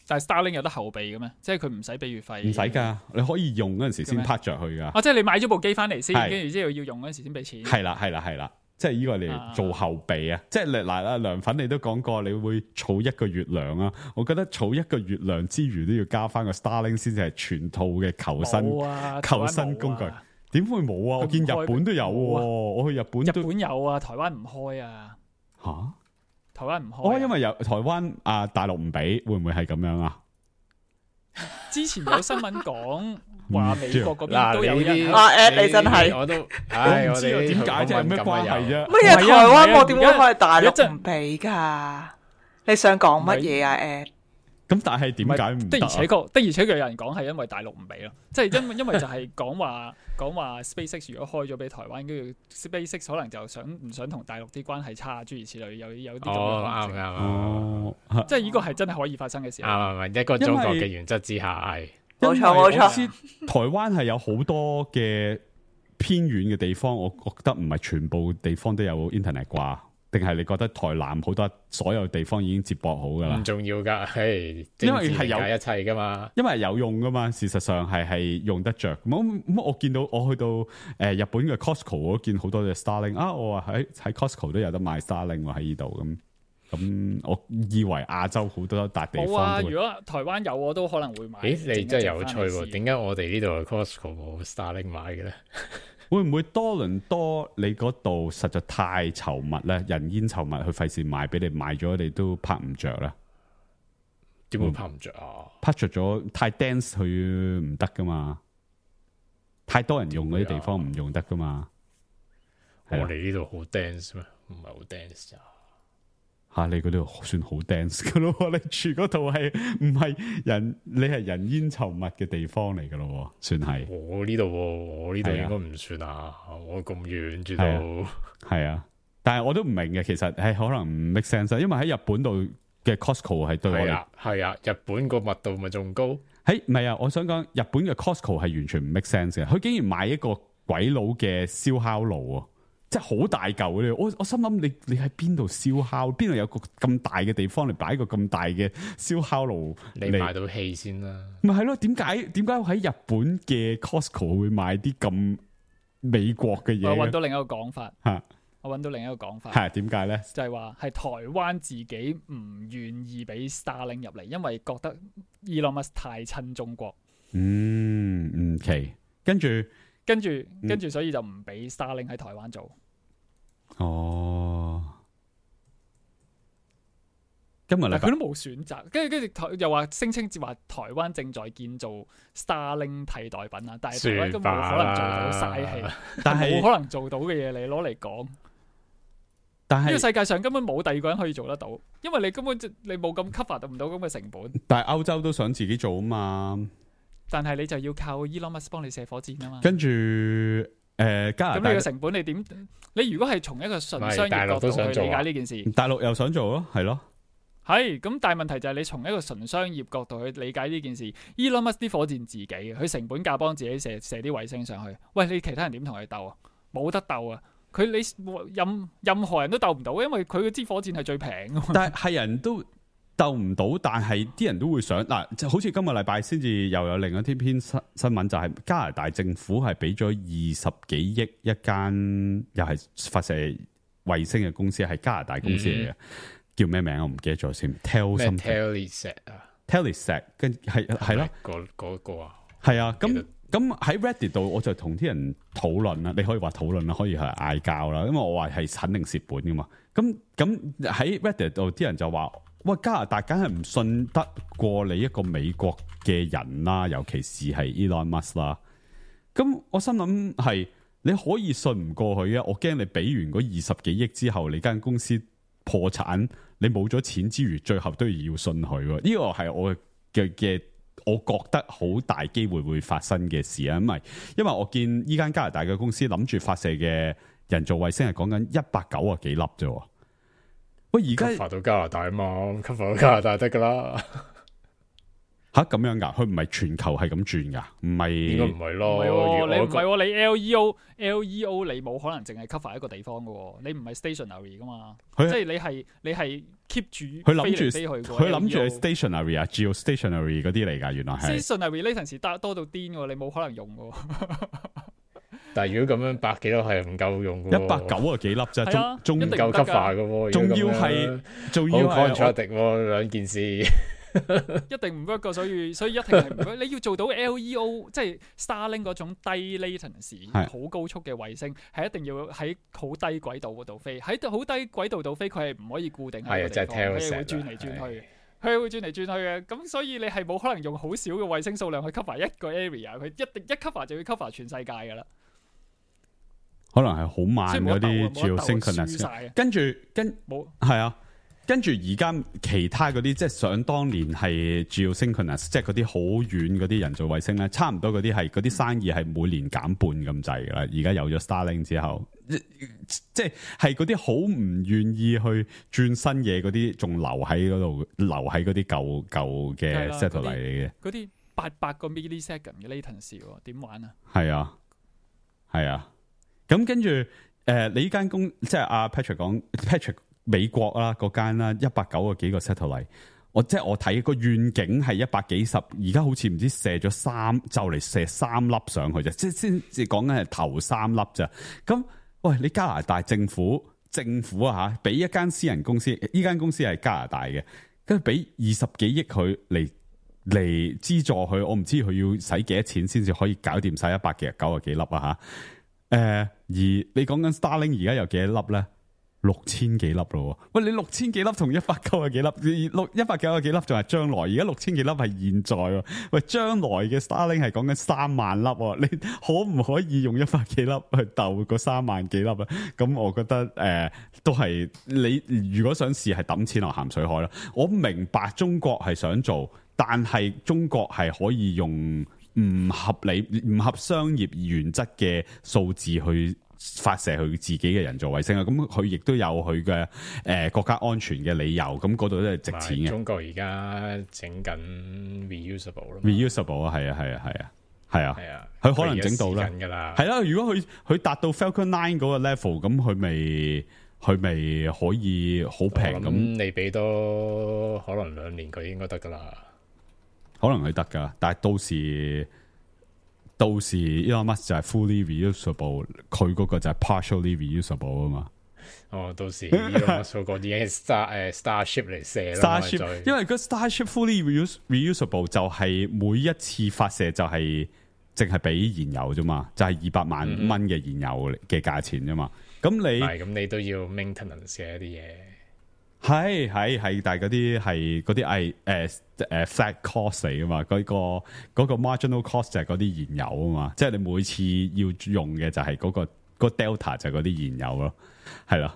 但係 Starlink 有得後備嘅咩？即係佢唔使俾月費？唔使㗎，你可以用嗰陣時先拍着去㗎。啊，即係你買咗部機翻嚟先，跟住之後要用嗰陣時先俾錢。係啦，係啦，係啦。即係呢個嚟做後備啊！即係嗱嗱涼粉，你都講過，你會儲一個月糧啊！我覺得儲一個月糧之餘，都要加翻個 Starlink 先至係全套嘅求生、啊、求生工具。點會冇啊？我見日本都有喎、啊，我去日本都，日本有啊，台灣唔開啊。吓、啊？台灣唔開、啊。哦，因為有台灣啊，大陸唔俾，會唔會係咁樣啊？之前有新聞講。話美國嗰邊都有人啊 at 你真係，我都，唉，我哋點解啫？咩關係啫？乜嘢台灣我點會開大陸唔俾噶？你想講乜嘢啊 at？咁但係點解唔得？的而且確，的而且確有人講係因為大陸唔俾咯，即係因因為就係講話講話 SpaceX 如果開咗俾台灣，跟住 SpaceX 可能就想唔想同大陸啲關係差，諸如此類，有有啲咁嘅可能性。哦，即係呢個係真係可以發生嘅事。啱啱一個中國嘅原則之下係。冇錯冇錯，台灣係有好多嘅偏遠嘅地方，我覺得唔係全部地方都有 internet 啩？定係你覺得台南好多所有地方已經接駁好噶啦？唔重要噶，係因為係有一切噶嘛，因為有用噶嘛。事實上係係用得着。咁咁我見到我去到誒、呃、日本嘅 Costco， 我見好多隻 Starlink 啊！我話喺喺 Costco 都有得賣 Starlink 喎喺呢度咁。咁我以為亞洲好多笪地方都會。冇啊！如果台灣有，我都可能會買。誒，你真係有趣喎！點解我哋呢度嘅 Costco 冇 Starlink 買嘅咧？會唔會多倫多你嗰度實在太稠密咧？人煙稠密，佢費事賣俾你，賣咗你都拍唔着啦。點會拍唔着啊？拍着咗太 dense 佢唔得噶嘛，太多人用嗰啲地方唔用得噶嘛。我哋呢度好 dense 咩？唔係好 dense 咋？吓、啊、你嗰度算好 dense 噶咯？你住嗰度係唔係人？你係人煙稠密嘅地方嚟噶咯？算係。我呢度，我呢度應該唔算啊！我咁遠住到。係啊，但係我都唔明嘅，其實係可能唔 make sense，因為喺日本度嘅 Costco 係對我哋係啊，日本個密度咪仲高？喺唔係啊？我想講日本嘅 Costco 係完全唔 make sense 嘅，佢竟然買一個鬼佬嘅燒烤爐啊！即係好大嚿咧，我我心諗你你喺邊度燒烤？邊度有個咁大嘅地方嚟擺一個咁大嘅燒烤爐？你買到氣先啦。咪係咯？點解點解喺日本嘅 Costco 會買啲咁美國嘅嘢？我揾到另一個講法嚇，啊、我揾到另一個講法係點解咧？就係話係台灣自己唔願意俾 Starlink 入嚟，因為覺得 Elon Musk 太親中國。嗯，唔奇，跟住跟住跟住，所以就唔俾 Starlink 喺台灣做。哦，今日禮拜但佢都冇選擇，跟住跟住台又話聲稱話台灣正在建造 Starlink 替代品啊，但係台灣根本冇可能做到嘥氣，但係冇可能做到嘅嘢你攞嚟講。但係呢個世界上根本冇第二個人可以做得到，因為你根本就你冇咁 cover 唔到咁嘅成本。但係歐洲都想自己做啊嘛，但係你就要靠 Elon Musk 幫你射火箭啊嘛。跟住誒、呃、加拿大咁你個成本你點？你如果係從一個純商業角度去理解呢件事，大陸又想做咯，係咯。係咁，但係問題就係你從一個純商業角度去理解呢件事 ，Elon Musk 啲火箭自己嘅，佢成本價幫自己射射啲衛星上去。喂，你其他人點同佢鬥啊？冇得鬥啊！佢你任任何人都鬥唔到，因為佢嗰支火箭係最平㗎嘛。但係係人都鬥唔到，但係啲人都會想嗱，就好似今個禮拜先至又有另一篇篇新新聞，就係加拿大政府係俾咗二十幾億一間又係發射衛星嘅公司，係加拿大公司嚟嘅。嗯叫咩名我唔記得咗先 ，Tel 什麼 Telesat 啊 ，Telesat 跟係係咯，嗰嗰個啊，係啊，咁咁喺 Reddit 度我就同啲人討論啦，你可以話討論啦，可以係嗌交啦，因為我話係肯定蝕本噶嘛，咁咁喺 Reddit 度啲人就話，喂，加拿大梗係唔信得過你一個美國嘅人啦，尤其是係 Elon Musk 啦，咁我心諗係你可以信唔過佢啊，我驚你俾完嗰二十幾億之後，你間公司破產，你冇咗錢之餘，最後都要信佢。呢個係我嘅嘅，我覺得好大機會會發生嘅事啊！因為因為我見依間加拿大嘅公司諗住發射嘅人造衛星係講緊一百九啊幾粒啫。喂，而家 cover 到加拿大啊嘛 ，cover 到加拿大得噶啦。吓咁樣噶？佢唔係全球係咁轉噶？唔係應該唔係咯？唔係你唔係你 L E O L E O 你冇可能淨係 cover 一個地方噶，你唔係 stationary 噶嘛？即係你係你係 keep 住佢諗住飛嚟飛去嘅。佢諗住係 stationary 啊 ，geostationary 嗰啲嚟噶，原來係 stationary latency 多多到癲喎，你冇可能用噶。但係如果咁樣百幾粒係唔夠用嘅，一百九啊幾粒啫，仲仲唔夠 cover 嘅，仲要係仲要係 contradict 兩件事。一定唔 work 噶，所以所以一定係唔 work。你要做到 L E O， 即係 Starlink 嗰種低 latency 好高速嘅衛星，係一定要喺好低軌道嗰度飛。喺好低軌道度飛，佢係唔可以固定喺個地方，佢係會轉嚟轉去，佢係會轉嚟轉去嘅。咁所以你係冇可能用好少嘅衛星數量去 cover 一個 area， 佢一定一 cover 就要 cover 全世界噶啦。可能係好慢嗰啲 geosynchronous，跟住跟冇係啊。跟住而家其他嗰啲，即係想當年係 geosynchronous，即係嗰啲好遠嗰啲人造衛星咧，差唔多嗰啲係嗰啲生意係每年減半咁滯噶啦。而家有咗 Starlink 之後，即係係嗰啲好唔願意去轉新嘢嗰啲，仲留喺嗰度，留喺嗰啲舊舊嘅 satellite 嚟嘅。嗰啲八百個 millisecond 嘅 latency 點玩啊？係啊，係啊。咁跟住誒、呃，你呢間公即係阿 Patrick 講 Patrick。美國啦，嗰間啦，一百九個幾個 satellite，我即係我睇個願景係一百幾十，而家好似唔知射咗三，就嚟射三粒上去啫，即係先至講緊係頭三粒咋。咁喂，你加拿大政府政府啊吓，俾一間私人公司，呢間公司係加拿大嘅，跟住俾二十幾億佢嚟嚟資助佢，我唔知佢要使幾多錢先至可以搞掂晒一百幾九個幾粒啊吓。誒、呃，而你講緊 Starlink 而家有幾多粒咧？六千幾粒咯，喂，你六千幾粒同一百九啊幾粒，六一百九啊幾粒仲係將來，而家六千幾粒係現在，喂，將來嘅 Starlink 係講緊三萬粒，你可唔可以用一百幾粒去鬥個三萬幾粒啊？咁我覺得誒、呃，都係你如果想試係抌錢落鹹水海啦。我明白中國係想做，但係中國係可以用唔合理、唔合商業原則嘅數字去發射佢自己嘅人造衛星啊，咁佢亦都有佢嘅誒國家安全嘅理由，咁嗰度都係值錢嘅。中國而家整緊 reusable 咯 ，reusable 啊，係啊，係啊，係啊，係啊，係啊，佢可能整到啦，係啦。如果佢佢達到 Falcon Nine 嗰個 level，咁佢咪佢咪可以好平咁？你俾多可能兩年佢應該得噶啦，可能佢得噶，但係到時。到時 Elon Musk 就係 fully reusable， 佢嗰個就係 partially reusable 啊嘛。哦，到時 Elon Musk 嗰啲已經係 Star 誒 Starship 嚟射啦。Starship， 因為個 Starship fully reuse, reusable 就係每一次發射就係淨係俾燃油啫嘛，就係二百萬蚊嘅燃油嘅價錢啫嘛。咁、嗯、你係咁，你都要 maintenance 嘅一啲嘢。係係係，但係嗰啲係嗰啲係誒誒 flat cost 嚟噶嘛，嗰、嗰個嗰、嗰個 marginal cost 就係嗰啲燃油啊嘛，即係你每次要用嘅就係嗰、嗰個、嗰個 delta 就係嗰啲燃油咯，係咯。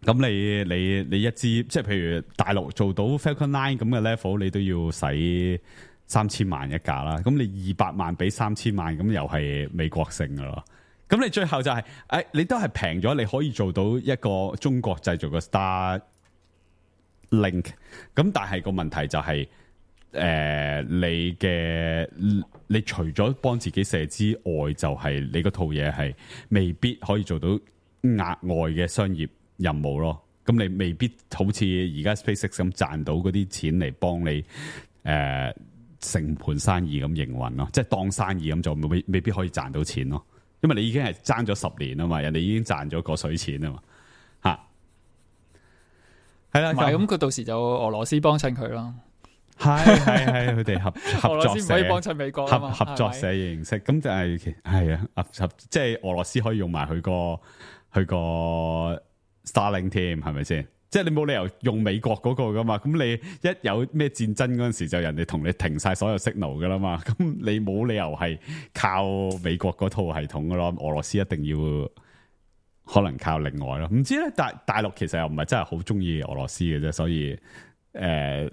咁你你你一支即係譬如大陸做到 Falcon Nine 咁嘅 level，你都要使三千萬一架啦。咁你二百萬俾三千萬，咁又係美國性噶咯。咁你最後就係、是、誒、哎，你都係平咗，你可以做到一個中國製造嘅 Star Link。咁但係個問題就係、是、誒、呃，你嘅你除咗幫自己射之外，就係、是、你嗰套嘢係未必可以做到額外嘅商業任務咯。咁你未必好似而家 SpaceX 咁賺到嗰啲錢嚟幫你誒、呃、成盤生意咁營運咯，即係當生意咁做，未未必可以賺到錢咯。因為你已經係爭咗十年啊嘛，人哋已經賺咗個水錢啊嘛，吓係啦。咁佢到時就俄羅斯幫襯佢咯，係係係佢哋合合作社，俄羅斯唔可以幫襯美國合合作社嘅形式。咁就係係啊，合合即係俄羅斯可以用埋佢個佢個 Starlink 添，係咪先？即係你冇理由用美國嗰個噶嘛，咁你一有咩戰爭嗰陣時，就人哋同你停晒所有 signal 噶啦嘛，咁你冇理由係靠美國嗰套系統噶咯，俄羅斯一定要可能靠另外咯。唔知咧，大大陸其實又唔係真係好中意俄羅斯嘅啫，所以誒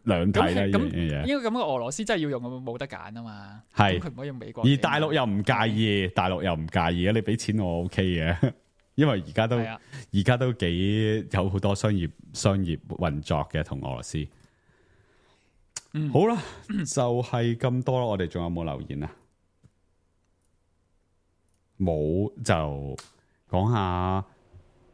兩睇咧呢樣嘢。應該咁嘅俄羅斯真係要用，冇得揀啊嘛。係佢唔可以用美國。而大陸又唔介意，大陸又唔介意嘅，你俾錢我 OK 嘅。因為而家都而家、啊、都幾有好多商業商業運作嘅同俄羅斯。嗯，好啦，就係咁多啦。我哋仲有冇留言啊？冇，就講下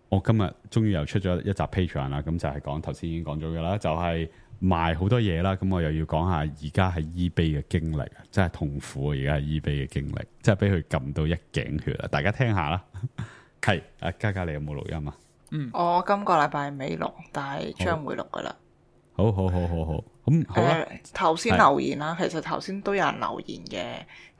我今日終於又出咗一集 Patreon 啦。咁就係講頭先已經講咗嘅啦，就係、是、賣好多嘢啦。咁我又要講下而家喺 eBay 嘅經歷，真係痛苦啊！而家係 eBay 嘅經歷，真係俾佢撳到一頸血啊！大家聽下啦。係，阿嘉嘉你有冇錄音啊？嗯，我今個禮拜未錄，但係將會錄噶啦。好好好好好，咁好啦。頭先、呃、留言啦，其實頭先都有人留言嘅，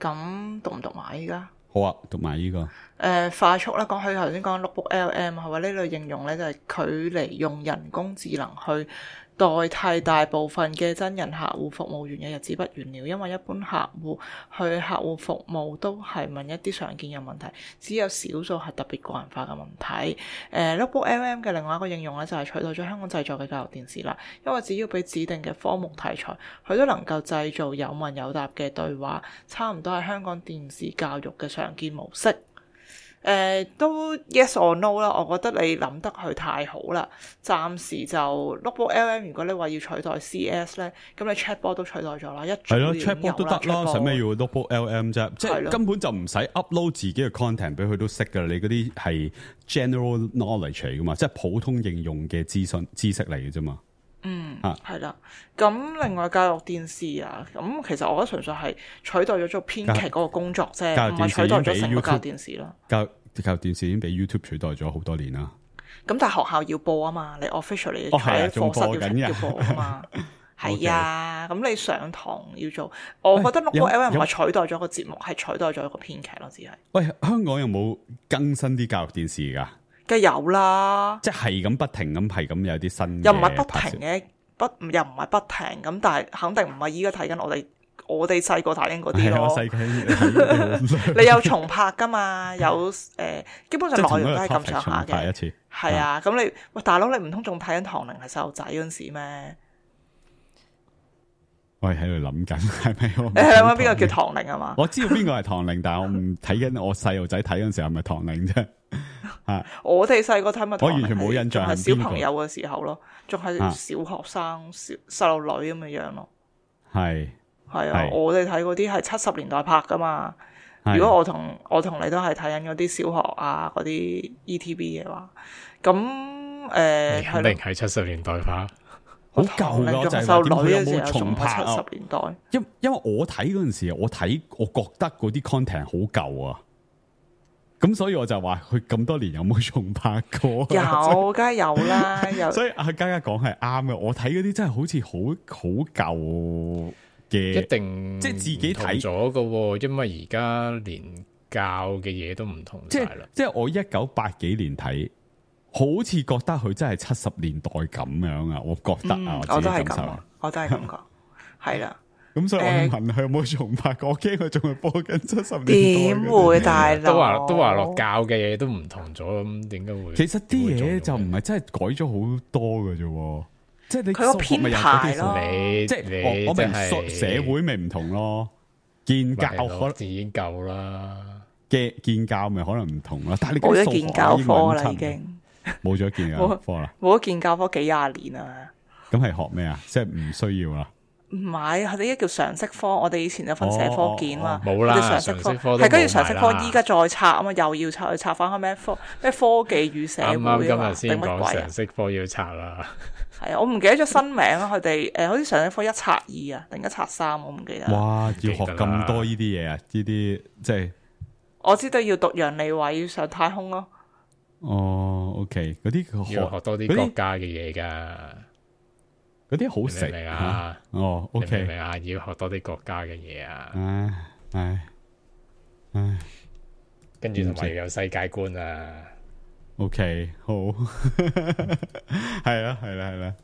咁讀唔讀埋依家？好啊，讀埋呢、這個。誒、呃，快速啦，講佢頭先講 Notebook L M 係話呢類應用咧，就係距離用人工智能去代替大部分嘅真人客戶服務員嘅日子不遠了，因為一般客戶去客戶服務都係問一啲常見嘅問題，只有少數係特別個人化嘅問題。誒 Notebook L M 嘅另外一個應用咧，就係取代咗香港製作嘅教育電視啦，因為只要俾指定嘅科目題材，佢都能夠製造有問有答嘅對話，差唔多係香港電視教育嘅常見模式。誒、呃、都 yes or no 啦，我覺得你諗得佢太好啦。暫時就 Notebook L M， 如果你話要取代 C S 咧，咁你 Chatbot 都取代咗啦，一係咯 Chatbot 都得啦，使咩要 Notebook L M 啫？即係根本就唔使 upload 自己嘅 content 俾佢都識噶啦。你嗰啲係 general knowledge 嚟噶嘛，即係普通應用嘅資訊知識嚟嘅啫嘛。嗯，係啦、啊。咁另外教育電視啊，咁其實我覺得純粹係取代咗做編劇嗰個工作啫，唔係取代咗成個教育電視咯。教教育電視已經俾 YouTube 取代咗好多年啦。咁但係學校要播啊嘛，你 officially 喺課室要要播啊嘛。係啊，咁你上堂要做，我覺得 Notebook L M 唔係取代咗個節目，係取代咗一個編劇咯，只係。喂，香港有冇更新啲教育電視噶？梗係有啦，即係咁不停咁係咁有啲新，又唔係不停嘅，不又唔係不停咁，但係肯定唔係依家睇緊我哋我哋細個睇緊嗰啲咯。你有重拍噶嘛？有誒、呃，基本上內容都係咁上下嘅。係啊，咁、啊、你喂大佬，你唔通仲睇緊唐寧係細路仔嗰陣時咩？我係喺度諗緊，係咪？你係諗緊邊個叫唐寧啊嘛？我知道邊個係唐寧，但係我唔睇緊我細路仔睇嗰陣時係咪唐寧啫？啊！我哋細個睇咪，我完全冇印象係小朋友嘅時候咯，仲係小學生、小細路女咁嘅樣咯。係係啊，我哋睇嗰啲係七十年代拍噶嘛。如果我同我同你都係睇緊嗰啲小學啊嗰啲 E T V 嘅話，咁誒，肯定係七十年代拍。好舊咯，就係細路女有冇重拍啊？七十年代，因因為我睇嗰陣時，我睇我覺得嗰啲 content 好舊啊。咁所以我就話佢咁多年有冇重拍過？有，梗係有啦。有，所以阿嘉嘉講係啱嘅。我睇嗰啲真係好似好好舊嘅，一定即係自己睇咗嘅。因為而家連教嘅嘢都唔同晒啦。即係我一九八幾年睇，好似覺得佢真係七十年代咁樣啊！我覺得啊，嗯、我我自己感受都係咁啊，我都係咁講，係啦。咁所以我問佢有冇重拍過，我驚佢仲係播緊七十年代。點會大佬？都話都話落教嘅嘢都唔同咗，咁點解會？其實啲嘢就唔係真係改咗好多嘅啫，即係你佢個編排咯，你即係你我我明係社會咪唔同咯，建教可能已經夠啦，嘅建教咪可能唔同啦，但係你冇咗建教科啦，已經冇咗建教科啦，冇咗建教科幾廿年啦。咁係學咩啊？即係唔需要啦。唔係，佢哋依家叫常識科。我哋以前就分社科件嘛，冇啦。常識科係跟住常識科，依家再拆啊嘛，又要拆，拆翻開咩科咩科技與社會啊嘛。啱啱今日先講常啊？識科要拆啦。係啊，我唔記得咗新名啊。佢哋誒，好似常識科一拆二啊，定一拆三，我唔記得。哇！要學咁多呢啲嘢啊？呢啲即係我知道要讀楊利偉要上太空咯。哦，OK，嗰啲要學多啲國家嘅嘢㗎。嗰啲好食明啊！哦，OK，明唔明啊？要學多啲國家嘅嘢啊！唉唉唉，跟住同埋要有世界觀啊 ！OK，好，係啦係啦係啦，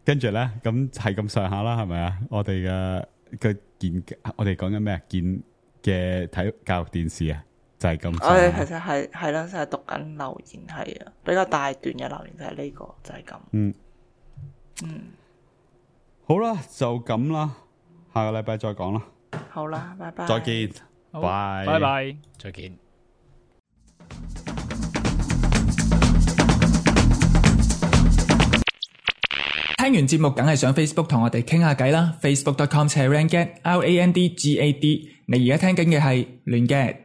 跟住咧咁係咁上下啦，係咪啊？我哋嘅嘅健，我哋講緊咩啊？健嘅體育教育電視啊，就係咁。我哋其實係係啦，就係讀緊留言，係啊，比較大段嘅留言就係呢個，就係咁。嗯。嗯，好啦，就咁啦，下個禮拜再講啦。好啦，拜拜。再見，拜拜拜，再見。聽完節目梗係上 Facebook 同我哋傾下偈啦 ，facebook dot com slash randgad R A N D G A D。你而家聽緊嘅係亂嘅